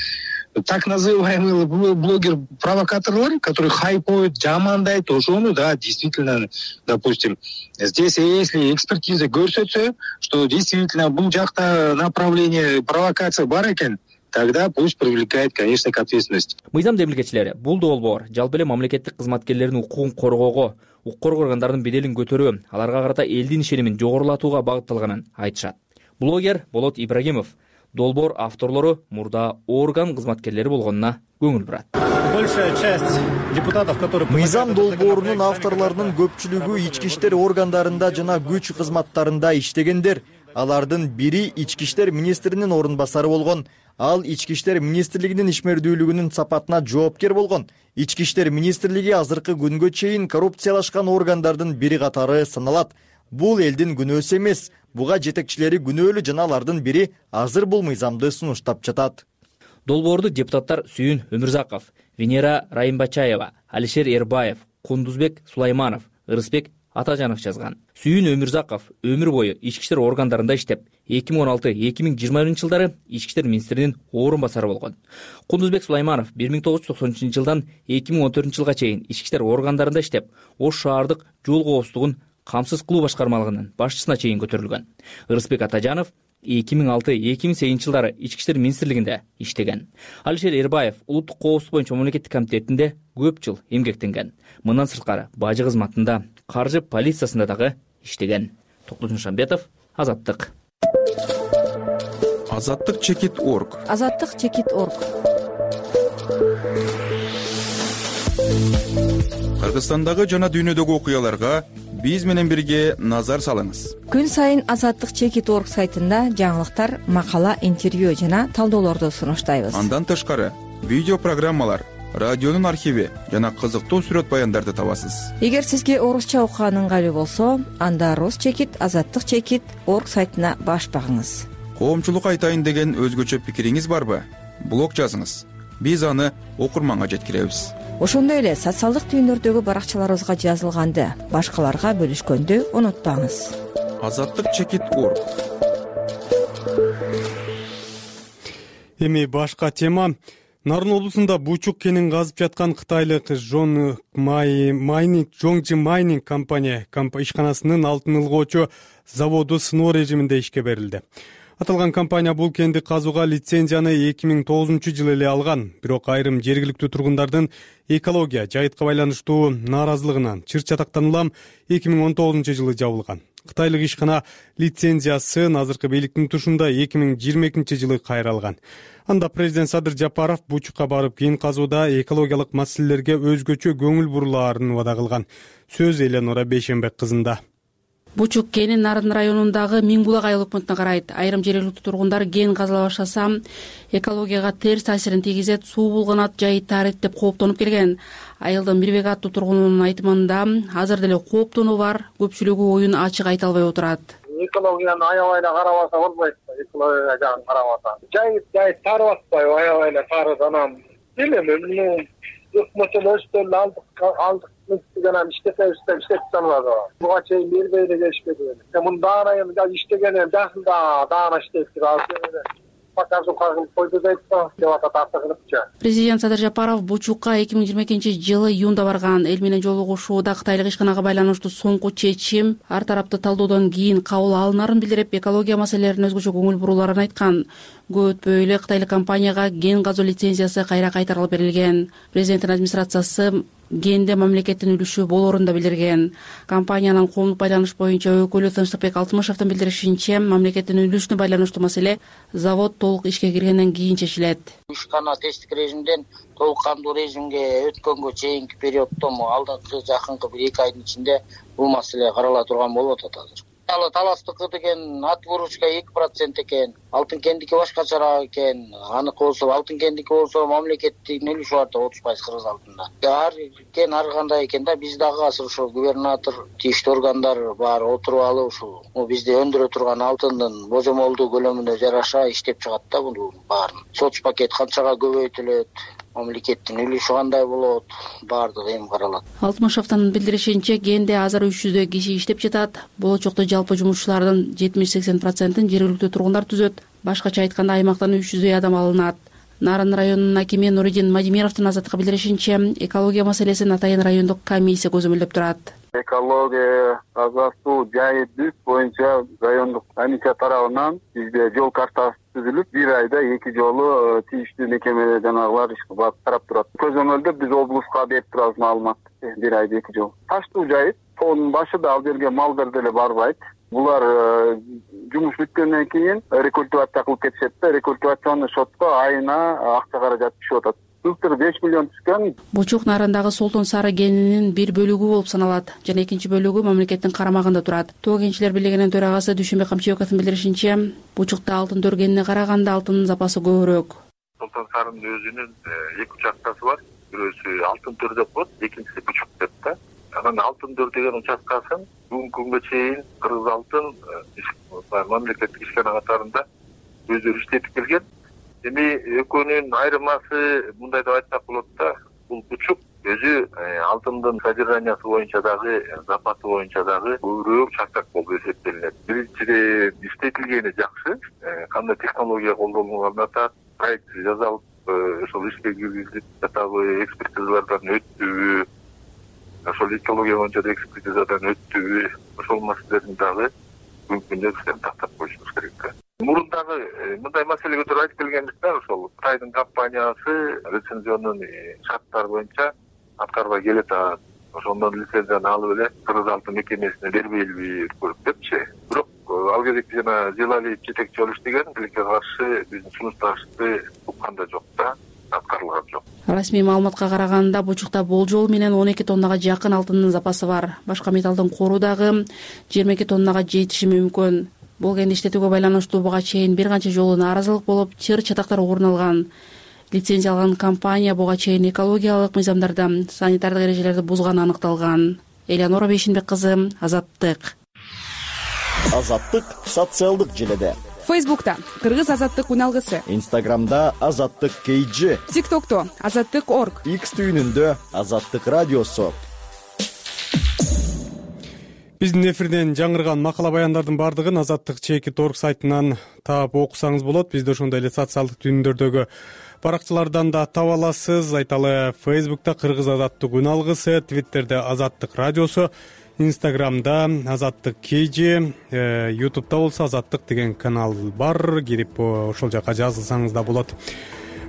так называемые блогер-провокаторлар, которые хайпуют, жамандайт, ошону, да, действительно, допустим, здесь если экспертиза көрсөтсө, что действительно бул жакта направление провокация бар экен, тогда пусть привлекает, конечно, к ответственности. Мыйзам демилгечилери бул долбоор жалпы эле мамлекеттик кызматкерлердин укугун коргоого, укук коргоо органдарынын беделин көтөрүү, аларга карата элдин ишенимин жогорулатууга багытталганын айтышат. Блогер Болот Ибрагимов долбоор авторлору мурда орган кызматкерлери болгонуна көңүл бурат. Большая часть депутатов, которые мыйзам долбоорунун авторлорунун көпчүлүгү ички иштер органдарында жана күч кызматтарында иштегендер. Алардын бири ички иштер министринин орун басары болгон. Ал ички иштер министрлигинин ишмердүүлүгүнүн сапатына жоопкер болгон. Ички иштер министрлиги азыркы күнгө чейин коррупциялашкан органдардын бири катары саналат. Бул элдин күнөөсү эмес. Буга жетекчилери күнөөлүү жана алардын бири азыр бул мыйзамды сунуштап жатат. Долбоорду депутаттар Сүйүн Өмүрзаков, Венера Райымбачаева, Алишер Эрбаев, Кундузбек Сулайманов, Ырысбек Атажанов жазган. Сүйүн Өмүрзаков өмүр бою ички иштер органдарында иштеп, 2016-2020 жылдары ички иштер министринин орун басары болгон. Кундузбек Сулайманов 1993 жылдан 2014 жылга чейин ички иштер органдарында иштеп, Ош шаардык жол коопсуздугун камсыз кылуу башкармалыгынын башчысына чейин көтөрүлгөн. Ырысбек Атажанов 2006-2008 жылдары ички иштер министрлигинде иштеген. Алишер Эрбаев улуттук коопсуздук боюнча мамлекеттик комитетинде көп жыл эмгектенген. Мындан сырткары бажы кызматында, каржы полициясында дагы иштеген. Токтосун Шамбетов, Азаттык. Азаттык-чекит.org. Азаттык-чекит.org. Кыргызстандагы жана дүйнөдөгү окуяларга биз менен бирге назар салыңыз. Күн сайын Азаттык-чекит.org сайтында жаңылыктар, макала, интервью жана талдоолорду сунуштайбыз. Андан тышкары видео программалар, радионун архиви жана кызыктуу сүрөт баяндарды табасыз. Эгер сизге орусча окуган ыңгайлуу болсо, анда Росчекит, Азаттык-чекит.org сайтына баш багыңыз. Коомчулукка айтайын деген өзгөчө пикириңиз барбы? Блог жазыңыз. Биз аны окурманга жеткиребиз. Ошондой эле социалдык түйүндөрдөгү баракчаларыбызга жазылганды башкаларга бөлүшкөндү унутпаңыз. Азаттык-чекит.org. Эми башка тема. Нарын облусунда бучук кенин казып жаткан кытайлык Жоңжи майнинг компания ишканасынын алтын ылгоочу заводу сыноо режиминде ишке берилди. Аталган компания бул кенди казууга лицензияны 2009-жылы эле алган, бирок айрым жергиликтүү тургундардын экология, жайытка байланыштуу нааразылыгынан чыр-чатактан улам 2019-жылы жабылган. Кытайлык ишкана лицензиясын азыркы бийликтин тушунда 2022-жылы кайралган. Анда президент Садыр Жапаров бучукка барып кийин казууда экологиялык маселелерге өзгөчө көңүл бурулаарын убада кылган. Сөз Эленора Бейшенбек кызында. Бучук кени Нарын районундагы Миңбулак айыл өкмөтүнө карайт. Айрым жергиликтүү тургундар кен казыла баштаса экологияга терс таасирин тийгизет, суу булганат, жайыт таарыйт деп кооптонуп келген. Айылдын Мирбек аттуу тургунунун айтымында азыр деле кооптонуу бар, көпчүлүгү оюн ачык айта албай отурат. Экологияны аябай эле карабаса болбойт. Экология жагын карабаса. Жайыт таарып атпайбы, аябай эле таарып анан билем, өкмөттөн алдык жана иштете албады. Буга чейин бербей эле келишпеди. Мунун даана иштеген жакында даана иштеп турат. Президент Садыр Жапаров Бучукка 2022-жылы июнда барган. Эл менен жолугушууда кытайлык ишканага байланыштуу соңку чечим ар тараптуу талдоодон кийин кабыл алынарын билдирип, экология маселелерине өзгөчө көңүл бурууларын айткан. Көп өтпөй эле кытайлык компанияга кен казуу лицензиясы кайра кайтарылып берилген. Президенттин администрациясы кенде мамлекеттин үлүшү болоорун да билдирген. Компаниянын коомдук байланыш боюнча өкүлү Тынчтыкбек Алтымышевдин билдиришинче, мамлекеттин үлүшүнө байланыштуу маселе завод толук ишке киргенден кийин чечилет. Ишкана тесттик режимден толук кандуу режимге өткөнгө чейинки периоддо алдыңкы жакынкы 1-2 айдын ичинде бул маселе карала турган болуп атат азыр. Таластыкы деген ат выручка 2% экен, алтын кендики башкачараак экен. Аныкы болсо алтын кендики болсо мамлекеттин үлүшү бар да 30% кыргыз алтында. Ар кен ар кандай экен да, биз дагы азыр ошо губернатор, тийиштүү органдар бар отуруп алып ушул бизде өндүрө турган алтындын божомолдуу көлөмүнө жараша иштеп чыгат да бунун баарын. Соц пакет канчага көбөйтүлөт, мамлекеттин үлүшү кандай болот, баардыгы эми каралат. Алтымышевдин билдиришинче, кенде азыр 300 киши иштеп жатат. Болочокто жалпы жумушчулардын 70-80%-ин жергиликтүү тургундар түзөт. Башкача айтканда аймактан 300 адам алынат. Нарын районунун акими Нуридин Мадимировдун Азаттыкка билдиришинче, экология маселесин атайын райондук комиссия көзөмөлдөп турат. Экология, таза суу, жайыт боюнча райондук комиссия тарабынан бизде жол картасы түзүлүп, 1 айда 2 жолу тийиштүү мекеме жанагылар карап турат. Көзөмөлдө биз облуска берип турабыз маалымат. 1 айда 2 жол. Таштуу жайыт, тоонун башында ал жерге малдар деле барбайт. Булар жумуш бүткөндөн кийин рекультивация кылып кетишет да, рекультивационный счетко айына акча каражат түшүп атат. Былтыр 5 миллион түшкөн. Бучук Нарындагы Солтон Сары кенинин бир бөлүгү болуп саналат жана экинчи бөлүгү мамлекеттин карамагында турат. Тоо кенчилер бийлигинин төрагасы Дүйшөнбек Камчыбековдун билдиришинче, Бучукта алтын төргенине караганда алтындын запасы көбүрөөк. Солтон Сарынын өзүнүн 2 участкасы бар. Бирөөсү алтын төр деп коет, экинчиси Бучук деп да. Анан алтын төр деген участкасын бүгүнкү күнгө чейин Кыргыз алтын мамлекеттик ишкана катарында өздөрү иштетип келген. Эми экөөнүн айырмасы мындай деп айтсак болот да, бул Бучук өзү алтындын содержаниясы боюнча дагы, запасы боюнча дагы көбүрөөк чакчак болуп эсептелинет. Биринчиден иштетилгени жакшы, кандай технология колдонулганын атат, проект жасалып, ошол ишке киргизилип жатабы, экспертизалардан өттүбү, ошол экология боюнча да экспертизадан өттүбү, ошол маселелерин дагы мүмкүнчө тактап коюшубуз керек. Мурун дагы мындай маселе көтөрүп айтып келгендиктен ошол Кытайдын компаниясы лицензионун шарттары боюнча аткарбай келет. Ошондон лицензияны алып эле Кыргыз алтын мекемесине бербейли депчи. Бирок ал кезекте жана Желалиев жетекчи болуп иштеген, тилекке каршы биздин сунуштарыбызды уккан да жок да, аткарылган жок. Расмий маалыматка караганда Бучукта болжол менен 12 тоннага жакын алтындын запасы бар. Башка металлдын кору дагы 22 тоннага жетиши мүмкүн. Бул кенди иштетүүгө байланыштуу буга чейин бир канча жолу нааразылык болуп, чыр-чатактар орун алган. Лицензия алган компания буга чейин экологиялык мыйзамдарды, санитардык эрежелерди бузганы аныкталган. Эленора Бейшенбек кызы, Азаттык. Азаттык социалдык желеде. Фейсбукта Кыргыз Азаттык уналгысы. Инстаграмда Азаттык KG. ТикТокто Азаттык.org. X түйүнүндө Азаттык радиосу. Биздин эфирден жаңырган макала баяндардын бардыгын Азаттык.org сайтынан таап окусаңыз болот. Бизде ошондой эле социалдык түйүндөрдөгү баракчалардан да таба аласыз. Айталы, Facebook'та Кыргыз Азаттык үн алгысы, Twitter'де Азаттык радиосу, Instagram'да Азаттык KG, YouTube'да болсо Азаттык деген канал бар. Кирип ошол жака жазылсаңыз да болот.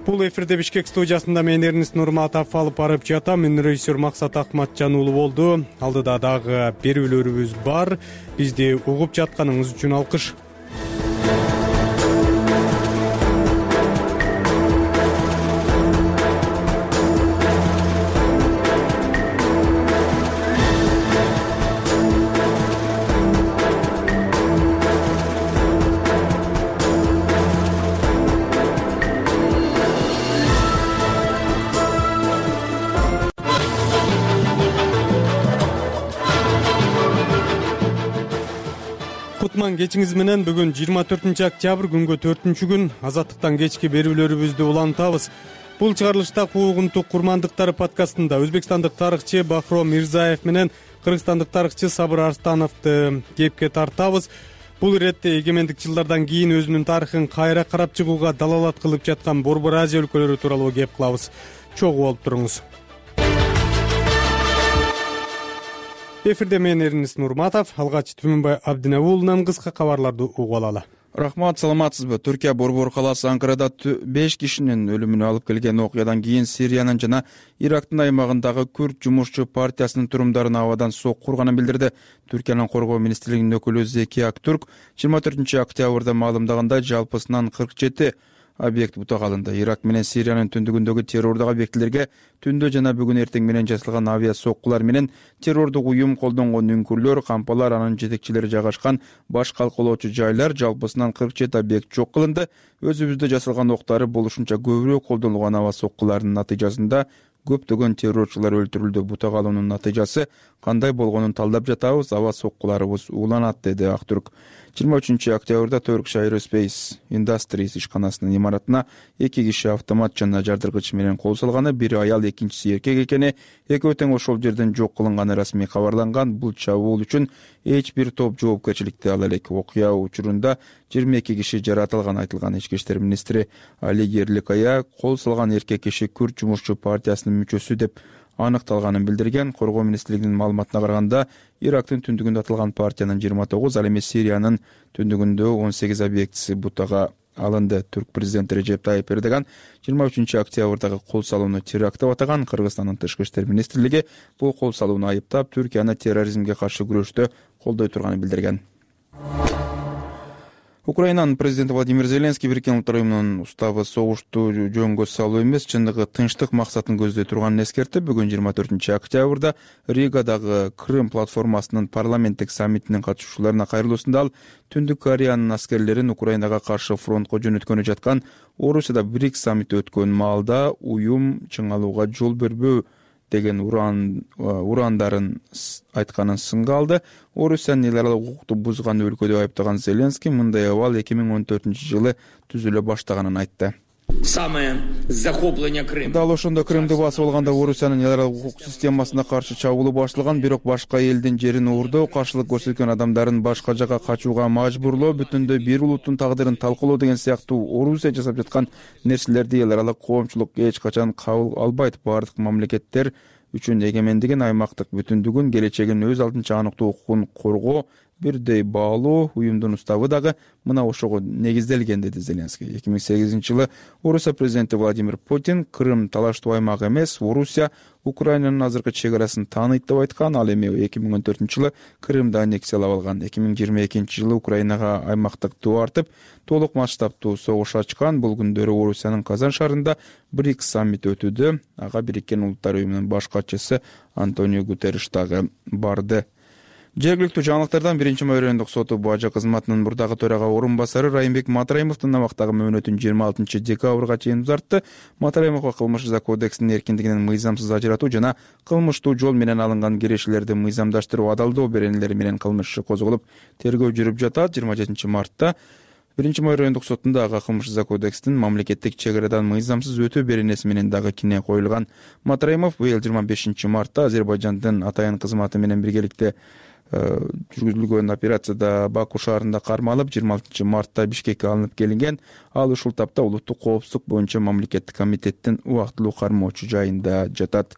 Бул эфирде Бишкек студиясында мен Эрнест Нурматов алып барып жатам. Мен режиссер Максат Акматжан уулу болду. Алдыда дагы берүүлөрүбүз бар. Бизди угуп жатканыңыз үчүн алкыш. Кечиңиз менен бүгүн 24 октябрь күнгө 4-күн Азаттыктан кечки берүүлөрүбүздү улантабыз. Бул чыгарылышта куугунтук курмандыктары подкастында өзбекстандык тарыхчы Бахром Мирзаев менен кыргызстандык тарыхчы Сабыр Арстановду кепке тартабыз. Бул иретте эгемендик жылдардан кийин өзүнүн тарыхын кайра карап чыгууга далалат кылып жаткан Борбор Азия өлкөлөрү тууралуу кеп кылабыз. Чогуу болуп туруңуз. Эфирде мен Эрнест Нурматов, алгач Түмөнбай Абдинабулунан кыска кабарларды угуп алалы. Рахмат, саламатсызбы? Түркия борбор калаасы Анкарада 5 кишинин өлүмүнө алып келген окуядан кийин Сириянын жана Ирактын аймагындагы Күрд жумушчу партиясынын турумдарын абадан сокку урганын билдирди. Түркиянын коргоо министрлигинин өкүлү Зеки Актурк 24 октябрда маалымдагандай жалпысынан 47 объект бутак алынды. Ирак менен Сириянын түндүгүндөгү террордук объектилерге түндө жана бүгүн эртең менен жасалган авиа соккулар менен террордук уюм колдонгон үңкүрлөр, кампалар, анын жетекчилери жайгашкан баш калкалоочу жайлар жалпысынан 47 объект жок кылынды. Өзүбүздө жасалган октары болушунча көбүрөөк колдонулган аба соккулардын натыйжасында көптөгөн террорчулар өлтүрүлдү. Бутак алуунун натыйжасы кандай болгонун талдап жатабыз, аба соккуларыбыз ууланат, деди Актурк. 23 октябрда Turkish Aerospace Industries ишканасынын имаратына 2 киши автомат жана жардыргыч менен кол салганы, бири аял, экинчиси эркек экени, экөө тең ошол жерден жок кылынганы расмий кабарланган. Бул чабуул үчүн эч бир топ жоопкерчиликти ала элек. Окуя учурунда 22 киши жаратылган, айтылган. Ички иштер министри Али Ерликая кол салган эркек киши Күрд жумушчу партиясынын мүчөсү деп аныкталганын билдирген. Коргоо министрлигинин маалыматына караганда, Ирактын түндүгүндө атылган партиянын 29, ал эми Сириянын түндүгүндө 18 объектиси бутага алынды. Түрк президенти Режеп Тайип Эрдоган 23 октябрдагы кол салууну теракт деп атаган. Кыргызстандын тышкы иштер министрлиги бул кол салууну айыптап, Түркияны терроризмге каршы күрөштө колдой турганын билдирген. Украинанын президенти Владимир Зеленский Бириккен Улуттар уюмунун уставы согушту жөнгө салуу эмес, чындыгы тынчтык максатын көздөй турганын эскертип, бүгүн 24 октябрда Ригадагы Крым платформасынын парламенттик саммитинин катышуучуларына кайрылуусунда ал Түндүк Кореянын аскерлерин Украинага каршы фронтко жөнөткөнү жаткан Орусияда БРИКС саммити өткөн маалда уюм чыңалууга жол бербөө деген урандарын айтканын сынга алды. Орусиянын эл аралык укукту бузган өлкө деп айыптаган Зеленский мындай абал 2014 жылы түзүлө баштаганын айтты. Дал ошондо Крымды басып алганда Орусиянын эл аралык укук системасына каршы чабуулу башталган, бирок башка элдин жерин уурдоо, каршылык көрсөткөн адамдарын башка жака качууга мажбурлоо, бүтүндөй бир улуттун тагдырын талкуулоо деген сыяктуу Орусия жасап жаткан нерселерди эл аралык коомчулук эч качан кабыл албайт. Бардык мамлекеттер үчүн эгемендигин, аймактык бүтүндүгүн, келечегин өз алдынча аныктоо укугун коргоо бирдей баалуу. Уюмдун уставы дагы мына ошого негизделген, деди Зеленский. 2008 жылы Орусия президенти Владимир Путин Крым талаштуу аймак эмес, Орусия Украинанын азыркы чек арасын тааныйт деп айткан. Ал эми 2014 жылы Крымды аннексиялап алган. 2022 жылы Украинага аймактык туу артып, толук масштабтуу согуш ачкан. Бул күндөрү Орусиянын Казан шаарында БРИКС саммити өтүүдө. Ага Бириккен Улуттар уюмунун баш катчысы Антонио Гутерриш дагы барды. Жергиликтүү жаңылыктардан 1-Майрөндүк соту бажа кызматынын мурдагы төрага орун басары Райымбек Матраимовдун абактагы мөөнөтүн 26 декабрга чейин узартты. Матраимовго кылмыш жаза кодексинин эркиндигинен мыйзамсыз ажыратуу жана кылмыштуу жол менен алынган кирешелерди мыйзамдаштыруу адалдоо беренелери менен кылмыш иши козголуп, тергөө жүрүп жатат. 27 мартта 1-Майрөндүк сотунда ага кылмыш жаза кодексинин мамлекеттик чек арадан мыйзамсыз өтүү беренеси менен дагы кине коюлган. Матраимов быйыл 25 мартта Азербайжандын атайын кызматы менен биргеликте жүргүзүлгөн операцияда Баку шаарында кармалып 26 мартта Бишкекке алынып келинген. Ал ушул тапта улуттук коопсуздук боюнча мамлекеттик комитеттин убактылуу кармоочу жайында жатат.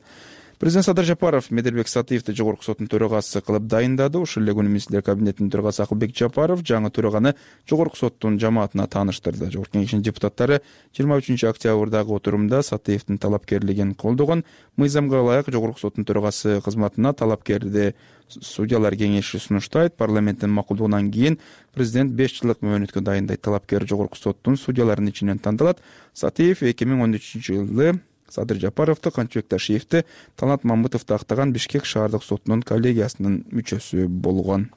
Президент Садыр Жапаров Медербек Сатыевди жогорку соттун төрагасы кылып дайындады. Ушул эле күнү министрлер кабинетинин төрагасы Акылбек Жапаров жаңы төраганы жогорку соттун жамаатына тааныштырды. Жогорку кеңештин депутаттары 23 октябрдагы отурумда Сатыевдин талапкерлигин колдогон. Мыйзамга ылайык жогорку соттун төрагасы кызматына талапкерди судьялар кеңеши сунуштайт. Парламенттин макулдугунан кийин президент 5 жылдык мөөнөткө дайындайт. Талапкер жогорку соттун судьяларынын ичинен тандалат. Сатыев 2013 жылы Садыр Жапаровду, Канчыбек Ташиевди, Талант Мамытовду актаган Бишкек шаардык сотунун коллегиясынын мүчөсү болгон.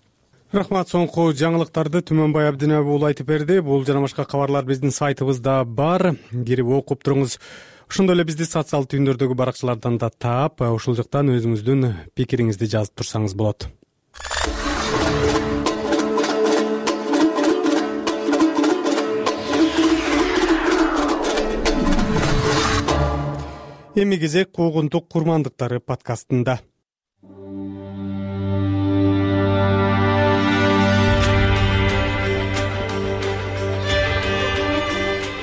Рахмат. Соңку жаңылыктарды Түмөнбай Абдинаби уулу айтып берди. Бул жана башка кабарлар биздин сайтыбызда бар. Кирип окуп туруңуз. Ошондой эле бизди социалдык түйүндөрдөгү баракчалардан да таап, ушул жактан өзүңүздүн пикириңизди жазып турсаңыз болот. Эми кезек куугунтук курмандыктары подкастында.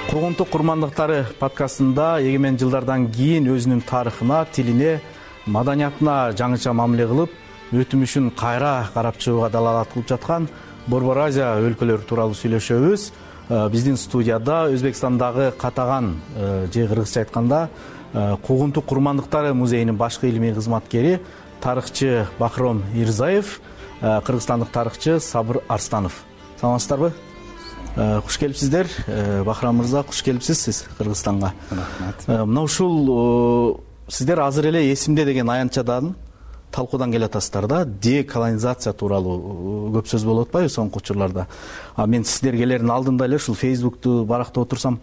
Куугунтук курмандыктары подкастында эгемен жылдардан кийин өзүнүн тарыхына, тилине, маданиятына жаңыча мамиле кылып, өтүмүшүн кайра карап чыгууга далалат кылып жаткан Борбор Азия өлкөлөрү тууралуу сүйлөшөбүз. Биздин студияда Өзбекстандагы Катаган же кыргызча айтканда Куугунтук курмандыктары музейинин башкы илимий кызматкери тарыхчы Бахром Ирзаев, кыргызстандык тарыхчы Сабыр Арстанов. Саламатсыздарбы? Куш келипсиздер. Бахром мырза, куш келипсиз сиз Кыргызстанга. Рахмат. Мына ушул сиздер азыр эле эсимде деген аянтчадан талкуудан келатасыздар да. Деколонизация тууралуу көп сөз болуп атпайбы соңку учурларда. Мен сиздер келердин алдында эле ушул Facebook'ту барактап отурсам,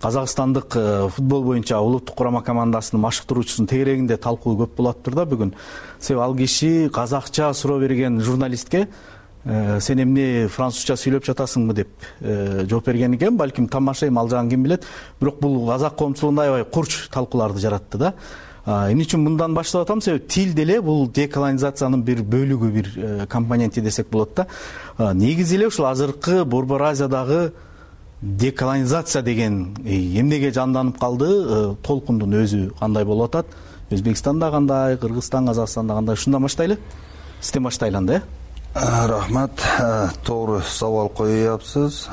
Казакстандык футбол боюнча улуттук курама командасынын машыктыруучусунун тегерегинде талкуу көп болуптур да бүгүн. Себеби ал киши казакча суроо берген журналистке сен эмне французча сүйлөп жатасыңбы деп жооп берген экен. Балким тамашайм ал жагын ким билет. Бирок бул казак коомчулугунда аябай курч талкууларды жаратты да. Эмне үчүн мындан баштап атам? Себеби тил деле бул деколонизациянын бир бөлүгү, бир компоненти десек болот да. Негизи эле ушул азыркы Борбор Азиядагы деколонизация деген эмнеге жанданып калды, толкундун өзү кандай болуп атат? Өзбекстанда кандай, Кыргызстан, Казакстанда кандай? Ушундан баштайлы. Сизден баштайлы да. Рахмат, туура сабал коюпсуз.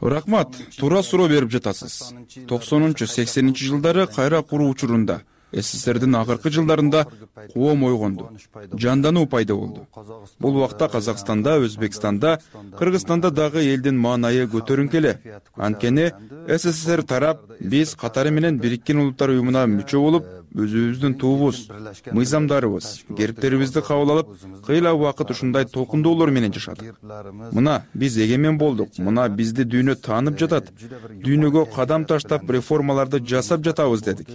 Рахмат, туура суроо берип жатасыз. 90-80 жылдары кайра куруу учурунда СССРдин акыркы жылдарында коом ойгонду, жандануу пайда болду. Бул убакта Казакстанда, Өзбекстанда, Кыргызстанда дагы элдин маанайы көтөрүнкө эле. Анткени СССР тарап биз катары менен Бириккен Улуттар уюмуна мүчө болуп, өзүбүздүн туубуз, мыйзамдарыбыз, кериптерибизди кабыл алып, кыйла убакыт ушундай толкундоолор менен жашадык. Мына биз эгемен болдук, мына бизди дүйнө таанып жатат. Дүйнөгө кадам таштап реформаларды жасап жатабыз дедик.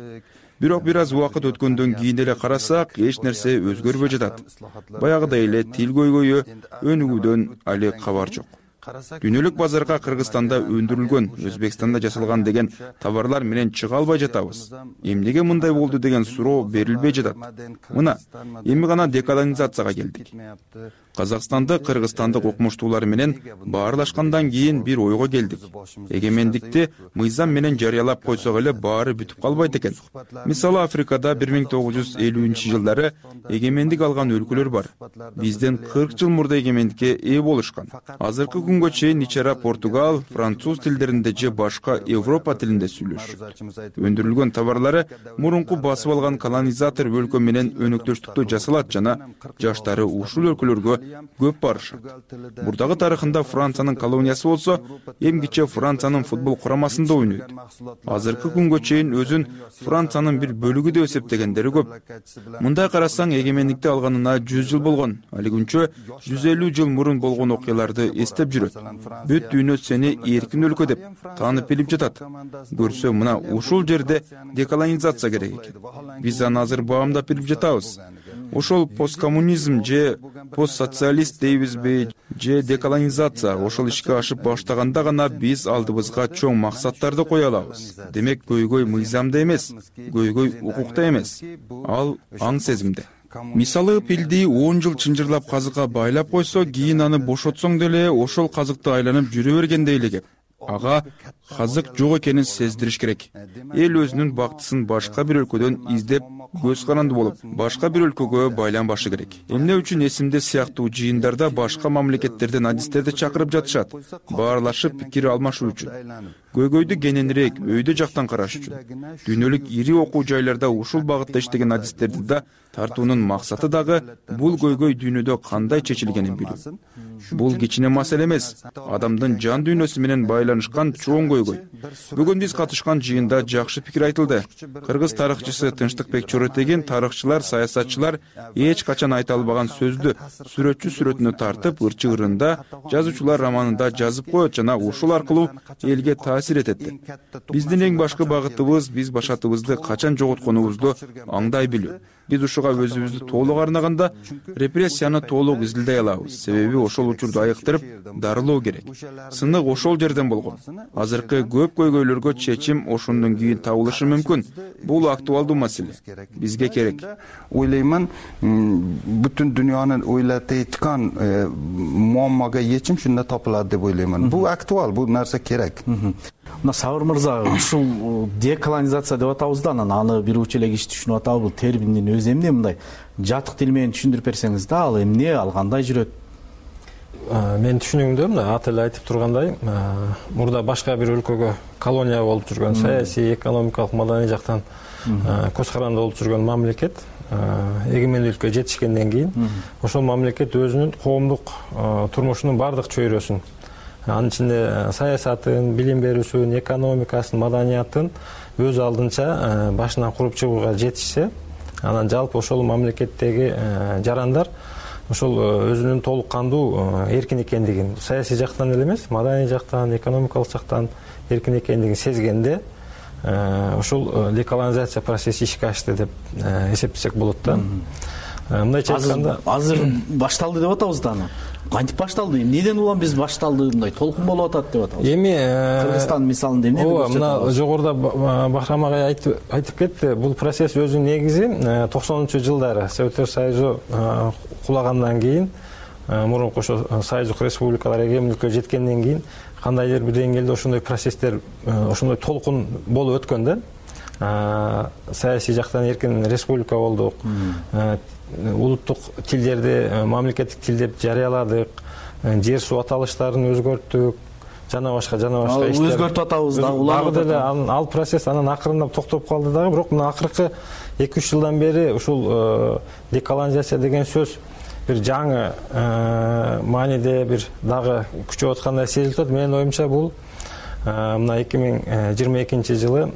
Бирок бир аз убакыт өткөндөн кийин эле карасак, эч нерсе өзгөрбөй жатат. Баягыдай эле тил көйгөйү, өнүгүүдөн али кабар жок. Дүйнөлүк базарга Кыргызстанда өндүрүлгөн, Өзбекстанда жасалган деген товарлар менен чыга албай жатабыз. Эмнеге мындай болду деген суроо берилбей жатат. Мына, эми гана деколонизацияга келдик. Казакстанды кыргызстандык окумуштуулар менен баарлашкандан кийин бир ойго келдик. Эгемендикти мыйзам менен жарыялап койсок эле баары бүтүп калбайт экен. Мисалы Африкада 1950-жылдары эгемендик алган өлкөлөр бар. Бизден 40 жыл мурда эгемендикке ээ болушкан. Азыркы күнгө чейин ичара португал, француз тилдеринде же башка Европа тилинде сүйлөшүшөт. Өндүрүлгөн товарлары мурунку басып алган колонизатор өлкө менен өнөктөштүктү жасалат жана жаштары ушул өлкөлөргө көп барышат. Бурдагы тарыхында Франциянын колониясы болсо, эмгиче Франциянын футбол курамасында ойнойт. Азыркы күнгө чейин өзүн Франциянын бир бөлүгү деп эсептегендери көп. Мындай карасаң, эгемендикти алганына 100 жыл болгон. Али күнчө 150 жыл мурун болгон окуяларды эстеп жүрөт. Бүт дүйнө сени эркин өлкө деп таанып билип жатат. Көрсө, мына ушул жерде деколонизация керек экен. Биз аны азыр баамдап билип жатабыз. Ошол посткоммунизм же постсоциалист дейбизби, же деколонизация ошол ишке ашып баштаганда гана биз алдыбызга чоң максаттарды кое алабыз. Демек, көйгөй мыйзамда эмес, көйгөй укукта эмес, ал аң сезимде. мисалы пилди 10 жыл чынжырлап казыкка байлап койсо, кийин аны бошотсоң деле ошол казыкты айланып жүрө бергендей эле кеп. Ага казык жок экенин сездириш керек. Эл өзүнүн бактысын башка бир өлкөдөн издеп, көз каранды болуп, башка бир өлкөгө байланбашы керек. Эмне үчүн эсимде сыяктуу жыйындарда башка мамлекеттерден адистерди чакырып жатышат? Баарлашып пикир алмашуу үчүн. Көйгөйдү кененирээк, өйдө жактан караш үчүн. Дүйнөлүк ири окуу жайларда ушул багытта иштеген адистерди да тартуунун максаты дагы бул көйгөй дүйнөдө кандай чечилгенин билүү. Бул кичине маселе эмес, адамдын жан дүйнөсү менен байланышкан чоң көйгөй. Бүгүн биз катышкан жыйында жакшы пикир айтылды. Кыргыз тарыхчысы Тынчтыкбек Чоротегин тарыхчылар, саясатчылар эч качан айта албаган сөздү сүрөтчү сүрөтүнө тартып, ырчы ырында, жазуучулар романында жазып коет жана ушул аркылуу элге таасир этет. Биздин эң башкы багытыбыз биз башатыбызды качан жоготконубузду аңдай билүү. Биз ушуга өзүбүздү толук арнаганда репрессияны толук изилдей алабыз. Себеби ошол учурду айыктырып дарылоо керек. Сынык ошол жерден болгон. Азыркы көп көйгөйлөргө чечим ошондон кийин табылышы мүмкүн. Бул актуалдуу маселе. Бизге керек. Ойлоймун, бүтүн дүйнөнү ойлотойткан муаммага чечим шунда топулат деп ойлоймун. Бул актуал, бул нерсе керек. Мына Сабыр мырза, ушул деколонизация деп атабыз да, анан аны бир учу эле киши түшүнүп атабы, бул терминдин өзү эмне, мындай жатык тил менен түшүндүрүп берсеңиз да, ал эмне, ал кандай жүрөт? Менин түшүнүгүмдө мына аты эле айтып тургандай, мурда башка бир өлкөгө колония болуп жүргөн, саясий, экономикалык, маданий жактан көз каранды болуп жүргөн мамлекет эгемендүүлүккө жетишкенден кийин ошол мамлекет өзүнүн коомдук турмушунун баардык чөйрөсүн, анын ичинде саясатын, билим берүүсүн, экономикасын, маданиятын өз алдынча башынан куруп чыгууга жетишсе, анан жалпы ошол мамлекеттеги жарандар ошол өзүнүн толук кандуу эркин экендигин, саясий жактан эле эмес, маданий жактан, экономикалык жактан эркин экендигин сезгенде, ошол деколонизация процесси ишке ашты деп эсептесек болот да. Мындайча айтканда, азыр башталды деп атабыз да аны. Кантип башталды? Эмнеден улам биз башталды, мындай толкун болуп атат деп атабыз. Эми Кыргызстан мисалында эмне көрсөтөт? Мына жогоруда Бахрам агай айтып кетти. Бул процесс өзүнүн негизи 90-жылдары Советтер Союзу кулагандан кийин, мурунку ошо Союздук республикалар эгемендүүлүккө жеткенден кийин кандайдыр бир деңгээлде ошондой процесстер, ошондой толкун болуп өткөн да. Саясий жактан эркин республика болдук. Улуттук тилдерди мамлекеттик тил деп жарыяладык. Жер суу аталыштарын өзгөрттүк. Жана башка иштер. Өзгөртүп атабыз да, улам деле ал процесс анан акырындап токтоп калды дагы, бирок мына акыркы 2-3 жылдан бери ушул деколонизация деген сөз бир жаңы мааниде бир дагы күчөп аткандай сезилип атат. Менин оюмча бул мына 2022 жылы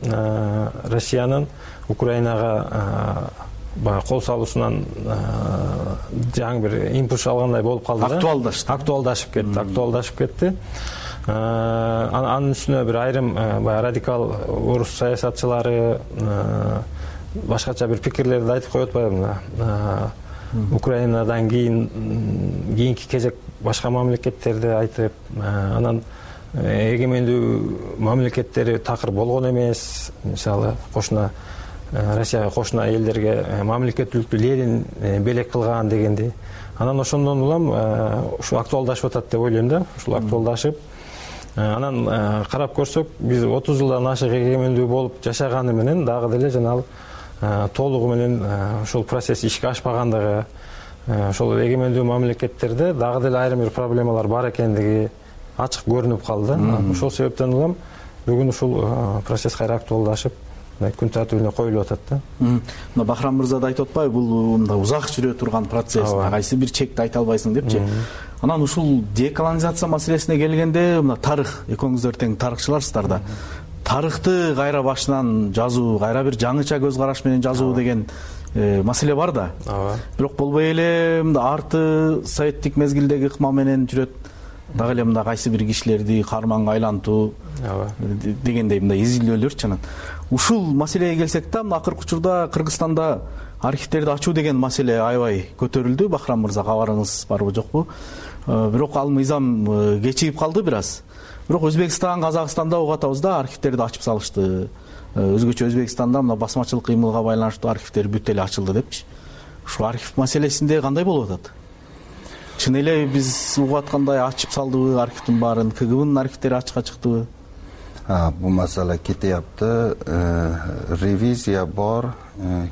Россиянын Украинага кол салуусунан жаңы бир импульс алгандай болуп калды да. Актуалдашып кетти. Анын үстүнө бир айрым радикал орус саясатчылары башкача бир пикирлерди айтып коюп атпайбы? Украинадан кийинки кезек башка мамлекеттерди айтып, анан эгемендүү мамлекеттери такыр болгон эмес. Мисалы, Россияга кошуна элдерге мамлекеттүүлүктү Ленин белек кылган дегенди. Анан ошондон улам ушу актуалдашып атат деп ойлойм да. Ушул актуалдашып, анан карап көрсөк, биз 30 жылдан ашык эгемендүү болуп жашаганы менен дагы деле жана толугу менен ошол процесс ишке ашпагандыгы, ошол эгемендүү мамлекеттерде дагы деле айрым бир проблемалар бар экендиги ачык көрүнүп калды. Ошол себептен улам бүгүн ушул процесс кайра актуалдашып, күн тартибине коюлуп атат да. Мына Бахрам мырза да айтып атпайбы, бул мындай узак жүрө турган процесс, кайсы бир чекти айта албайсың депчи. Анан ушул деколонизация маселесине келгенде, мына тарых, экөөңүздөр тең тарыхчыларсыздар да. Тарыхты кайра башынан жазуу, кайра бир жаңыча көз караш менен жазуу деген маселе бар да. Бирок болбой эле арты советтик мезгилдеги ыкма менен жүрөт. Дагы эле мында кайсы бир кишилерди карманга айлантуу дегендей мындай изилдөөлөрчү. Анан ушул маселеге келсек да, мына акыркы учурда Кыргызстанда архивтерди ачуу деген маселе аябай көтөрүлдү. Бахрам мырза, кабарыңыз барбы жокпу? Бирок ал мыйзам кечигип калды бир аз. Бирок Өзбекстан, Казакстанда угуп атабыз да, архивтерди ачып салышты. Өзгөчө Өзбекстанда мына басмачылык кыймылга байланыштуу архивтер бүт эле ачылды депчи. ушул архив маселесинде кандай болуп атат? Чын эле биз угуп аткандай ачып салдыбы архивдин баарын? КГБнын архивдери ачыкка чыктыбы? Бул маселе кетияпты. Ревизия бар,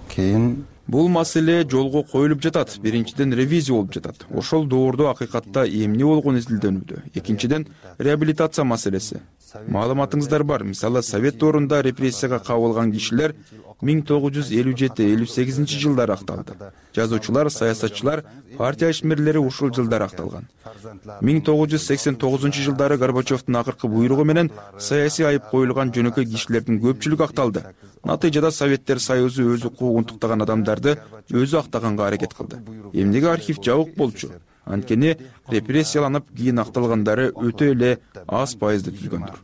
кийин бул маселе жолго коюлуп жатат. Биринчиден ревизия болуп жатат. Ошол доордо акыйкатта эмне болгону изилдөнүүдө. Экинчиден реабилитация маселеси. Маалыматыңыздар бар. Мисалы, Совет доорунда репрессияга кабылган кишилер 1957-58 жылдары акталды. Жазуучулар, саясатчылар, партия ишмерлери ушул жылдары акталган. 1989 жылдары Горбачевдун акыркы буйругу менен саясий айып коюлган жөнөкөй кишилердин көпчүлүгү акталды. Натыйжада Советтер Союзу өзү куугунтуктаган адамдарды өзү актаганга аракет кылды. Эмнеге архив жабык болчу? Анткени репрессияланып кийин акталгандары өтө эле аз пайызды түзгөндүр.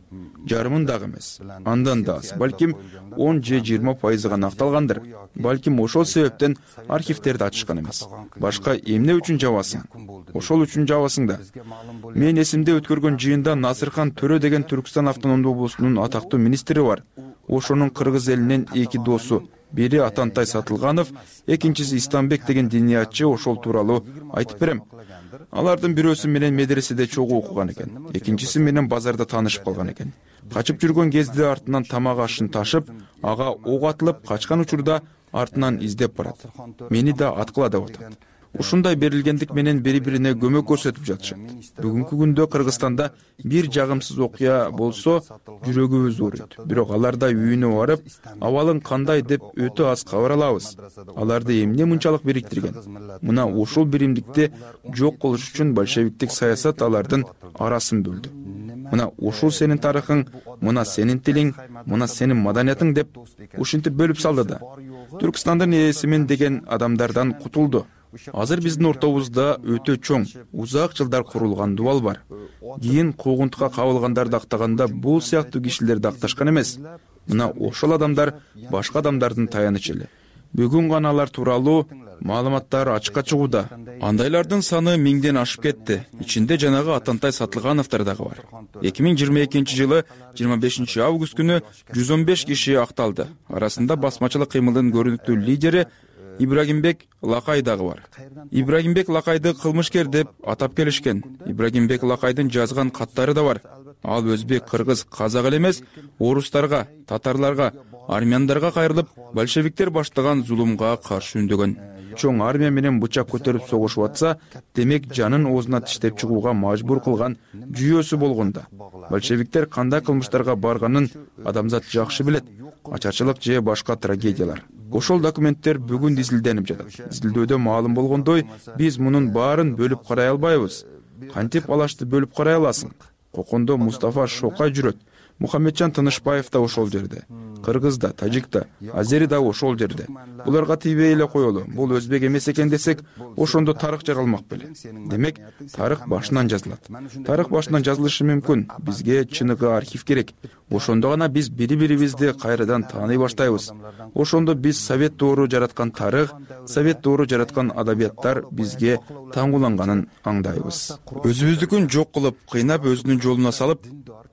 Жарымын дагы эмес. Андан да аз, балким 10 же 20% гана акталгандыр. Балким ошол себептен архивтерди ачышкан эмес. Башка эмне үчүн жабасың? Ошол үчүн жабасың да. Мен эсимде өткөргөн жыйында Насырхан Төрө деген Түркстан автономдуу облусунун атактуу министри бар. Ошонун кыргыз элинен эки досу, бири Атантай Сатылганов, экинчиси Истамбек деген диниятчы ошол тууралуу айтып берем. Алардын бирөөсү менен медреседе чогуу окуган экен, экинчиси менен базарда таанышып калган экен. Качып жүргөн кезде артынан тамак ашын ташып, ага ок атылып качкан учурда артынан издеп барат. Мени да аткыла деп атат. Ушундай берилгендик менен бири-бирине көмөк көрсөтүп жатышат. Бүгүнкү күндө Кыргызстанда бир жагымсыз окуя болсо, жүрөгүбүз ооруйт. Бирок аларда үйүнө барып, абалың кандай деп өтө аз кабар алабыз. Аларды эмне мынчалык бириктирген? Мына ушул биримдикти жок кылыш үчүн большевиктик саясат алардын арасын бөлдү. Мына ушул сенин тарыхың, мына сенин тилиң, мына сенин маданиятың деп ушинтип бөлүп салды да. Түркстандын ээсимин деген адамдардан кутулду. Азыр биздин ортобузда өтө чоң, узак жылдар курулган дубал бар. Кийин куугунтукка кабылгандарды актаганда бул сыяктуу кишилерди акташкан эмес. Мына ошол адамдар башка адамдардын таянычы эле. Бүгүн гана алар тууралуу маалыматтар ачыкка чыгууда. Андайлардын саны 1000ден ашып кетти. Ичинде жанагы Атантай Сатылгановдор дагы бар. 2022 жылы 25 август күнү 115 киши акталды. Арасында басмачылык кыймылдын көрүнүктүү лидери Ибрагимбек Лакай дагы бар. Ибрагимбек Лакайды кылмышкер деп атап келишкен. Ибрагимбек Лакайдын жазган каттары да бар. Ал өзбек, кыргыз, казак эле эмес, орустарга, татарларга, армяндарга кайрылып, большевиктер баштаган зулумга каршы үндөгөн. Чоң армия менен бычак көтөрүп согушуп атса, демек жанын оозуна тиштеп чыгууга мажбур кылган жүйөсү болгонда. Большевиктер кандай кылмыштарга барганын адамзат жакшы билет. Ачарчылык же башка трагедиялар. Ошол документтер бүгүн изилденип жатат. Изилдөөдө маалым болгондой, биз мунун баарын бөлүп карай албайбыз. Кантип алашты бөлүп карай аласың? Кокондо Мустафа Шокай жүрөт. Мухаммеджан Тынышбаев да ошол жерде. Кыргыз да, тажик да, азери да ошол жерде. Буларга тийбей эле коелу. Бул өзбек эмес экен десек, ошондо тарых жаралмак беле. Демек, тарых башынан жазылат. Тарых башынан жазылышы мүмкүн. Бизге чыныгы архив керек. Ошондо гана биз бири-бирибизди кайрадан тааный баштайбыз. Ошондо биз Совет доору жараткан тарых, Совет доору жараткан адабияттар бизге таңгуланганын аңдайбыз. Өзүбүздүкүн жок кылып, кыйнап өзүнүн жолуна салып,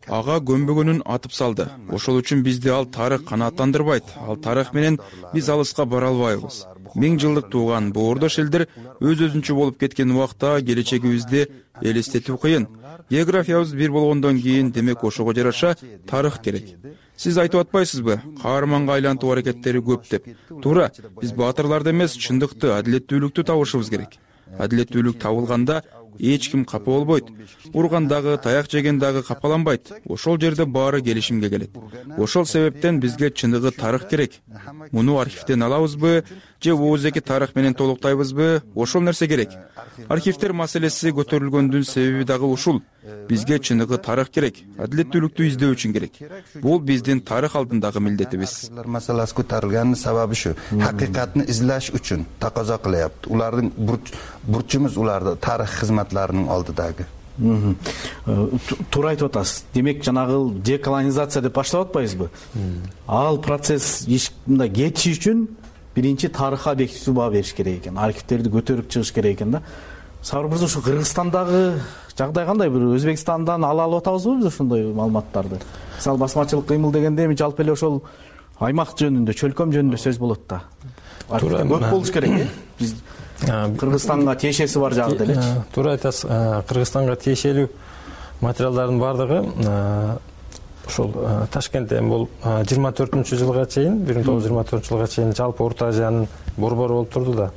ага көмбөгөнүн атып салды. Ошол үчүн бизди ал тарых канааттандырбайт. Ал тарых менен биз алыска бара албайбыз. 1000 жылдык тууган боордош элдер өз-өзүнчө болуп кеткен убакта келечегибизди элестетүү кыйын. Географиябыз бир болгондон кийин демек ошого жараша тарых керек. Сиз айтып атпайсызбы? Каарманга айлантуу аракеттери көп деп. Туура, биз баатырларды эмес, чындыкты, адилеттүүлүктү табышыбыз керек. Адилеттүүлүк табылганда эч ким капа болбойт. Урган дагы, таяк жеген дагы капаланбайт. Ошол жерде баары келишимге келет. Ошол себептен бизге чыныгы тарых керек. Муну архивден алабызбы, же оозеки тарых менен толуктайбызбы? Ошол нерсе керек. Архивдер маселеси көтөрүлгөндүн себеби дагы ушул. Бизге чыныгы тарых керек. Адилеттүүлүктү издөө үчүн керек. Бул биздин тарых алдындагы милдетибиз. Маселеси көтөрүлгөнүн себеби ушу. Hakikatni izlash үчүн таказа кылыпты. Улардын бурчумуз уларды тарых кызматларынын алдыдагы. Туура айтып атасыз. Демек жанагы деколонизация деп баштап атпайбызбы? Ал процесс мындай кетиши үчүн биринчи тарыхка объективдүү баа бериш керек экен. Архивтерди көтөрүп чыгыш керек экен да. Сабыр мырза, ушу Кыргызстандагы жагдай кандай? Бир Өзбекстандан ала алып атабызбы биз ошондой маалыматтарды? Мисалы басмачылык кыймыл дегенде эми жалпы эле ошол аймак жөнүндө, чөлкөм жөнүндө сөз болот да. Туура көп болуш керек. Биз Кыргызстанга тиешеси бар жагы делечи. Туура айтасыз. Кыргызстанга тиешелүү материалдардын баардыгы ошол Ташкентте бул 24-жылга чейин, 1924-жылга чейин жалпы Орто Азиянын борбору болуп турду да.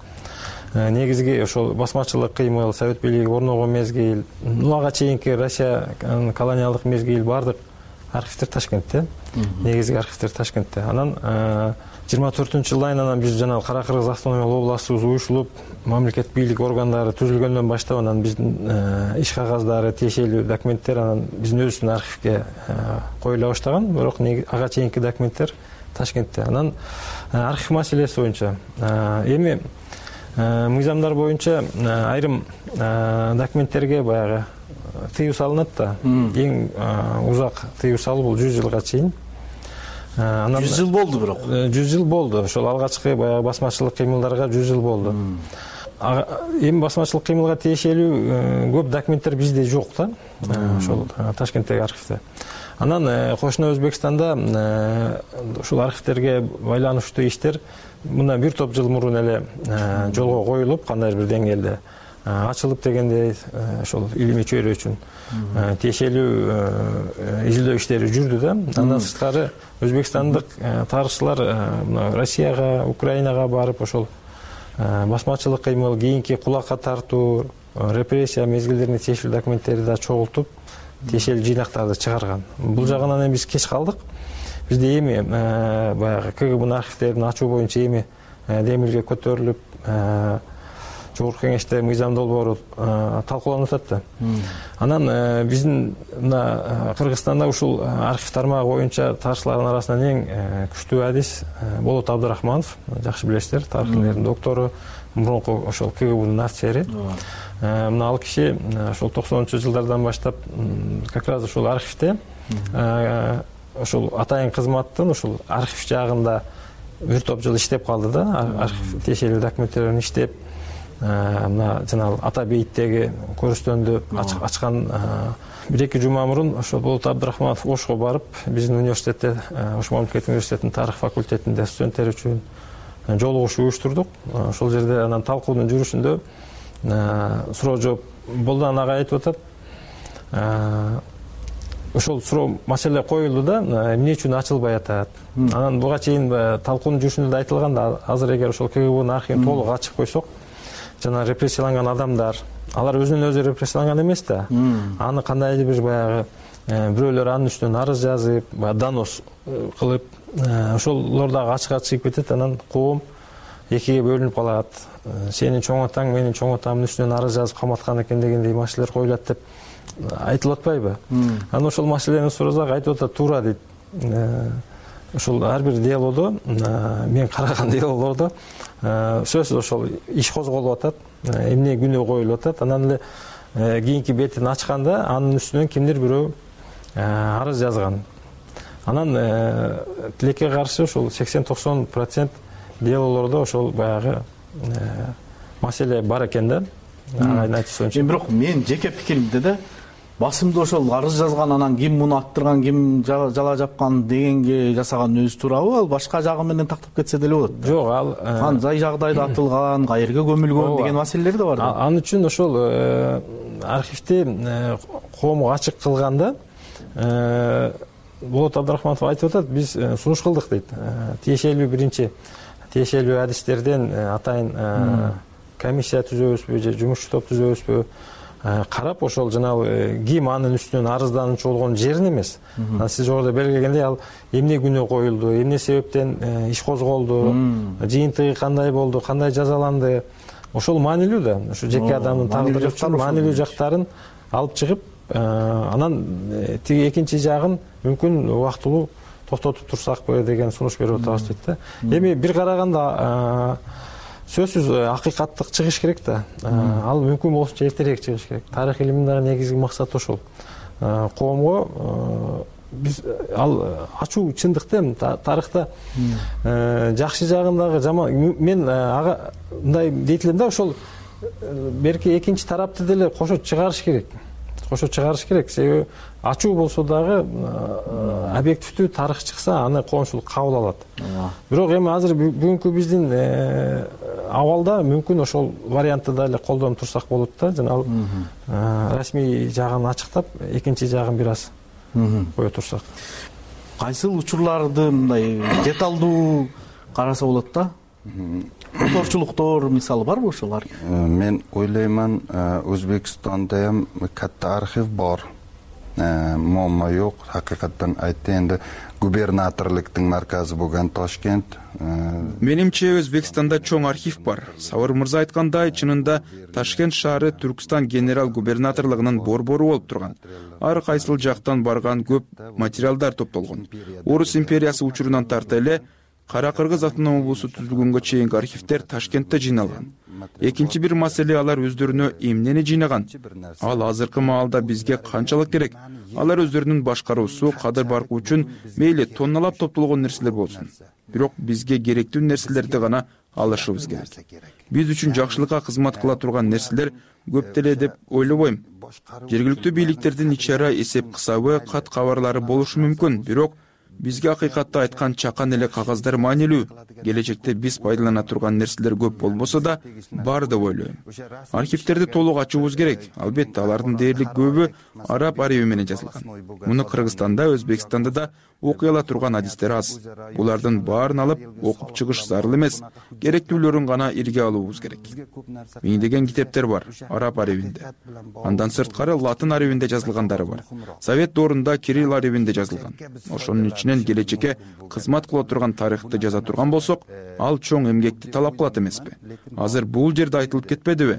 Негизги ошол басмачылык кыймыл, Совет бийлиги орногон мезгил, ага чейинки Россия колониалдык мезгил баардык архивдер Ташкентте. Негизги архивдер Ташкентте. Анан 24-жылдан анан биз жана Кара Кыргыз автономиялык областыбыз уюшулуп, мамлекет бийлик органдары түзүлгөндөн баштап анан биздин иш кагаздары, тиешелүү документтер анан биздин өзүбүздүн архивге коюла баштаган. Бирок ага чейинки документтер Ташкентте. Анан архив маселеси боюнча эми мыйзамдар боюнча айрым документтерге баягы тыюу салынат да. Эң узак тыюу салуу бул 100 жылга чейин. 100 жыл болду бирок. 100 жыл болду. Ошол алгачкы баягы басмачылык кыймылдарга 100 жыл болду. Эми басмачылык кыймылга тиешелүү көп документтер бизде жок да. Ошол Ташкенттеги архивде. Анан кошуна Өзбекстанда ушул архивдерге байланыштуу иштер мындан бир топ жыл мурун эле жолго коюлуп, кандайдыр бир деңгээлде ачылып дегендей ошол илимий чөйрө үчүн тиешелүү изилдөө иштери жүрдү да. Андан сырткары өзбекстандык тарыхчылар Россияга, Украинага барып ошол басмачылык кыймыл, кийинки кулакка тартуу, репрессия мезгилдерине тиешелүү документтерди да чогултуп, тиешелүү жыйнактарды чыгарган. Бул жагынан биз кеч калдык. Бизде эми баягы КГБнын архивдерин ачуу боюнча эми демилге көтөрүлүп, Жогорку кеңеште мыйзам долбоору талкууланып атат да. Анан биздин мына Кыргызстанда ушул архив тармагы боюнча тарыхчылардын арасынан эң күчтүү адис Болот Абдрахманов, жакшы билесиздер, тарых илимдеринин доктору, мурунку ошол КГБнын офицери. Мына ал киши ошол 90-жылдардан баштап как раз ушул архивде ошол атайын кызматтын ушул архив жагында бир топ жыл иштеп калды да. Архив тиешелүү документтерин иштеп, мына жанагы Ата бейиттеги көрүстөндү ачкан 1-2 жума мурун ошо Болот Абдрахманов Ошко барып, биздин университетте, Ош мамлекеттик университетинин тарых факультетинде студенттер үчүн жолугуш уюштурдук. Ошол жерде анан талкуунун жүрүшүндө суроо жооп болду, ага айтып атат. Ошол суроо маселе коюлду да, эмне үчүн ачылбай атат. Анан буга чейин талкуунун жүрүшүндө да айтылган да, азыр эгер ошол КГБнын архивин толук ачып койсок, жана репрессияланган адамдар, алар өзүнөн өзү репрессияланган эмес да. Аны кандайдыр бир баягы бирөөлөр анын үстүнөн арыз жазып, донос кылып, ошолор дагы ачыкка чыгып кетет. Анан коом экиге бөлүнүп калат. Сенин чоң атаң, менин чоң атамдын үстүнөн арыз жазып каматкан экен дегендей маселелер коюлат деп айтылып атпайбы? Анан ошол маселени сурасак айтып атат, туура дейт. Ошол ар бир делодо, мен караган делолордо сөзсүз ошол иш козголуп атат, эмне күнөө коюлуп атат. Анан эле кийинки бетин ачканда анын үстүнөн кимдир бирөө арыз жазган. Анан тилекке каршы ошол 80-90% делолордо ошол баягы маселе бар экен да. Айын айтышынча. Бирок мен жеке пикиримде да басымды ошол арыз жазган, анан ким муну аттырган, ким жала жапкан дегенге жасаган өзү туурабы? Ал башка жагы менен тактап кетсе деле болот. Жок, ал кандай жагдайда атылган, каерге көмүлгөн деген маселелер да бар да. Ал үчүн ошол архивди коомго ачык кылганда Болот Абдрахманов айтып атат, биз сунуш кылдык дейт. Тиешелүү адистерден атайын комиссия түзөбүзбү же жумушчу топ түзөбүзбү, карап ошол жанагы ким анын үстүнөн арыздануучу болгон жерин эмес. Сиз жогоруда белгилегендей, ал эмне күнөө коюлду, эмне себептен иш козголду, жыйынтыгы кандай болду, кандай жазаланды, ошол маанилүү да. Ошо жеке адамдын тагдыры үчүн маанилүү жактарын алып чыгып, анан тиги экинчи жагын мүмкүн убактылуу токтотуп турсакпы деген сунуш берип атабыз дейт да. Эми бир караганда сөзсүз акыйкаттык чыгыш керек да. Ал мүмкүн болушунча эртерээк чыгыш керек. Тарых илиминдеги негизги максат ошол. Коомго биз ал ачуу чындыкта тарыхта жакшы жагындагы жаман, мен мындай дейт элем да, ошол берки экинчи тарапты деле кошо чыгарыш керек. кошо чыгарыш керек. Себеби ачуу болсо дагы объективдүү тарых чыкса аны коомчулук кабыл алат. Бирок эми азыр бүгүнкү биздин абалда мүмкүн ошол вариантты да эле колдонуп турсак болот да. Жана расмий жагын ачыктап, экинчи жагын бир аз кое турсак. Кайсыл учурларды мындай деталдуу караса болот да? Моторчулуктор мисалы барбы ошолар? Мен ойлойман, Өзбекстанда ham катта архив бар. Muammo yo'q. Haqiqatan aytdi, endi gubernatorlikning markazi bo'lgan Toshkent. Менимче Өзбекстанда чоң архив бар. Сабыр мырза айткандай, чынында Ташкент шаары Түркстан генерал губернаторлугунун борбору болуп турган. Ар кайсыл жактан барган көп материалдар топтолгон. Орус империясы учурунан тарта эле Кара-Кыргыз автономия облусу түзүлгөнгө чейинки архивдер Ташкентте жыйналган. Экинчи бир маселе, алар өздөрүнө эмнени жыйнаган? Ал азыркы маалда бизге канчалык керек? Алар өздөрүнүн башкаруусу, кадыр баркы үчүн мейли тонналап топтолгон нерселер болсун. Бирок бизге керектүү нерселерди гана алышыбыз керек. Биз үчүн жакшылыкка кызмат кыла турган нерселер көп деле деп ойлобойм. Жергиликтүү бийликтердин ичара эсеп кысабы, кат кабарлары болушу мүмкүн, бирок бизге акыйкатты айткан чакан эле кагаздар маанилүү. Келечекте биз пайдалана турган нерселер көп болбосо да бар деп ойлойм. Архивтерди толук ачуубуз керек. Албетте, алардын дээрлик көбү араб ареби менен жазылган. Муну Кыргызстанда, Өзбекстанда да окуй ала турган адистер аз. Булардын баарын алып окуп чыгыш зарыл эмес. Керектүүлөрүн гана ирге алуубуз керек. Миңдеген китептер бар араб аребинде. Андан сырткары латын аребинде жазылгандары бар. Совет доорунда кирилл аребинде жазылган. Ошонун ичинен келечекке кызмат кыла турган тарыхты жаза турган болсок, ал чоң эмгекти талап кылат эмеспи? Азыр бул жерде айтылып кетпедиби?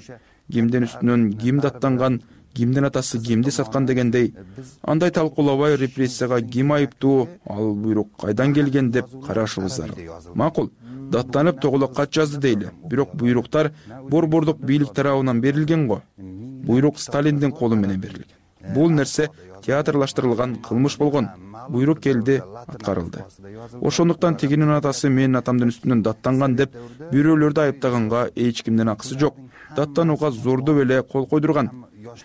Кимдин үстүнөн ким даттанган, кимдин атасы кимди саткан дегендей, андай талкуулабай репрессияга ким айыптуу, ал буйрук кайдан келген деп карашыбыз зарыл. Макул, даттанып тоголок кат жазды дейли. Бирок буйруктар борбордук бийлик тарабынан берилген го. Буйрук Сталиндин колу менен берилген. Бул нерсе театрлаштырылган кылмыш болгон. Буйрук келди, аткарылды. Ошондуктан тигинин атасы менин атамдын үстүнөн даттанган деп бирөөлөрдү айыптаганга эч кимдин акысы жок. Даттанууга зордоп эле кол койдурган.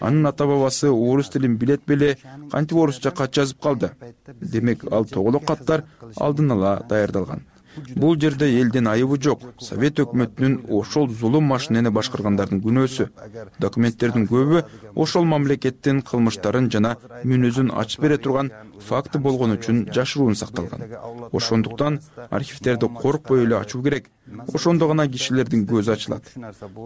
Анын ата бабасы орус тилин билет беле, кантип орусча кат жазып калды. Демек, ал тоголок каттар алдын ала даярдалган. Бул жерде элдин айыбы жок. Совет өкмөтүнүн ошол зулум машинени башкаргандардын күнөөсү. Документтердин көбү ошол мамлекеттин кылмыштарын жана мүнөзүн ачып бере турган факты болгон үчүн жашыруун сакталган. Ошондуктан архивтерди коркпой эле ачуу керек. Ошондо гана кишилердин көзү ачылат.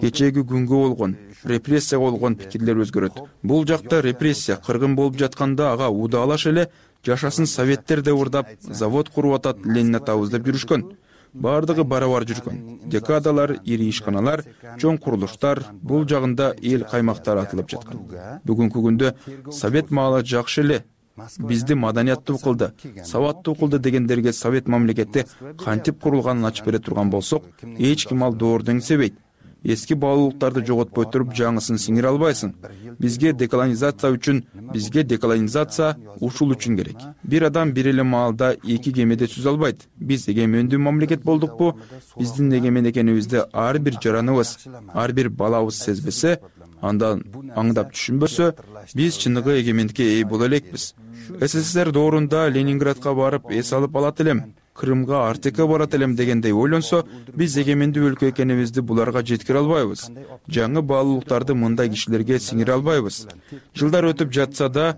Кечеги күнгө болгон, репрессия болгон пикирлер өзгөрөт. Бул жакта репрессия кыргын болуп жатканда ага удаалаш эле жашасын советтер деп урдап, завод куруп атат, Ленин атабыз деп жүрүшкөн. Бардыгы барабар жүргөн. Декадалар, ири ишканалар, чоң курулуштар, бул жагында эл каймактар атылып жаткан. Бүгүнкү күндө совет маалы жакшы эле. Бизди маданияттуу кылды, сабаттуу кылды дегендерге совет мамлекети кантип курулганын ачып бере турган болсок, эч ким ал доорду эңсебейт. Эски баалуулуктарды жоготпой туруп жаңысын сиңире албайсың. Бизге деколонизация ушул үчүн керек. Бир адам бир эле маалда эки кемеде сүзө албайт. Биз эгемендүү мамлекет болдукпу? Биздин эгемен экенибизди ар бир жараныбыз, ар бир балабыз сезбесе, андан аңдап түшүнбөсө, биз чыныгы эгемендикке ээ боло элекпиз. СССР доорунда Ленинградка барып эс алып алат элем, Крымга Артекке барат элем дегендей ойлонсо, биз эгемендүү өлкө экенибизди буларга жеткире албайбыз. Жаңы баалуулуктарды мындай кишилерге сиңире албайбыз. Жылдар өтүп жатса да,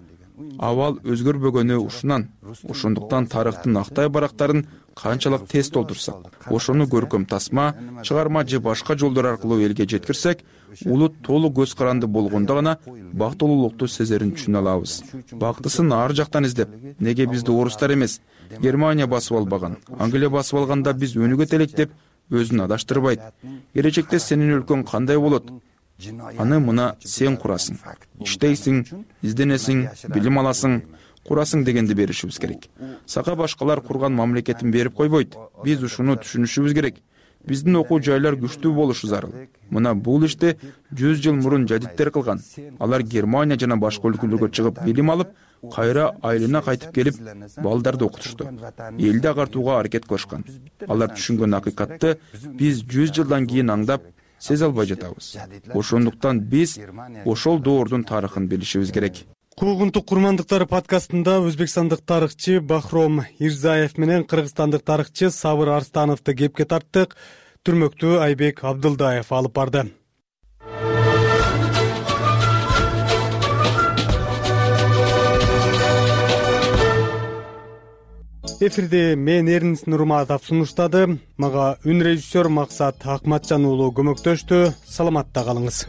абал өзгөрбөгөнү ушунан. Ошондуктан тарыхтын актай барактарын канчалык тез толтурсак, ошону көркөм тасма, чыгарма же башка жолдор аркылуу элге жеткирсек, улут толук көз каранды болгондо гана бактылуулукту сезерин түшүнө алабыз. Бактысын ар жактан издеп, неге бизди орустар эмес, Германия басып албаган, Англия басып алганда биз өнүгөт элек деп өзүн адаштырбайт. Келечекте сенин өлкөң кандай болот? Аны мына сен курасың. Иштейсиң, изденесиң, билим аласың, курасың дегенди беришибиз керек. Сага башкалар курган мамлекетин берип койбойт. Биз ушуну түшүнүшүбүз керек. Биздин окуу жайлар күчтүү болушу зарыл. Мына бул ишти 100 жыл мурун жадиттер кылган. Алар Германия жана башка өлкөлөргө чыгып билим алып, кайра айылына кайтып келип, балдарды окутушту. Элди агартууга аракет кылышкан. Алар түшүнгөн акыйкатты биз 100 жылдан кийин аңдап, сезе албай жатабыз. Ошондуктан биз ошол доордун тарыхын билишибиз керек. Куугунтук курмандыктары подкастында өзбекстандык тарыхчы Бахром Ирзаев менен кыргызстандык тарыхчы Сабыр Арстановду кепке тарттык. Түрмөктү Айбек Абдылдаев алып барды. Эфирде мен Эрнис Нурматов сунуштады. Мага үн режиссер Максат Акматжан уулу көмөктөштү. Саламатта калыңыз.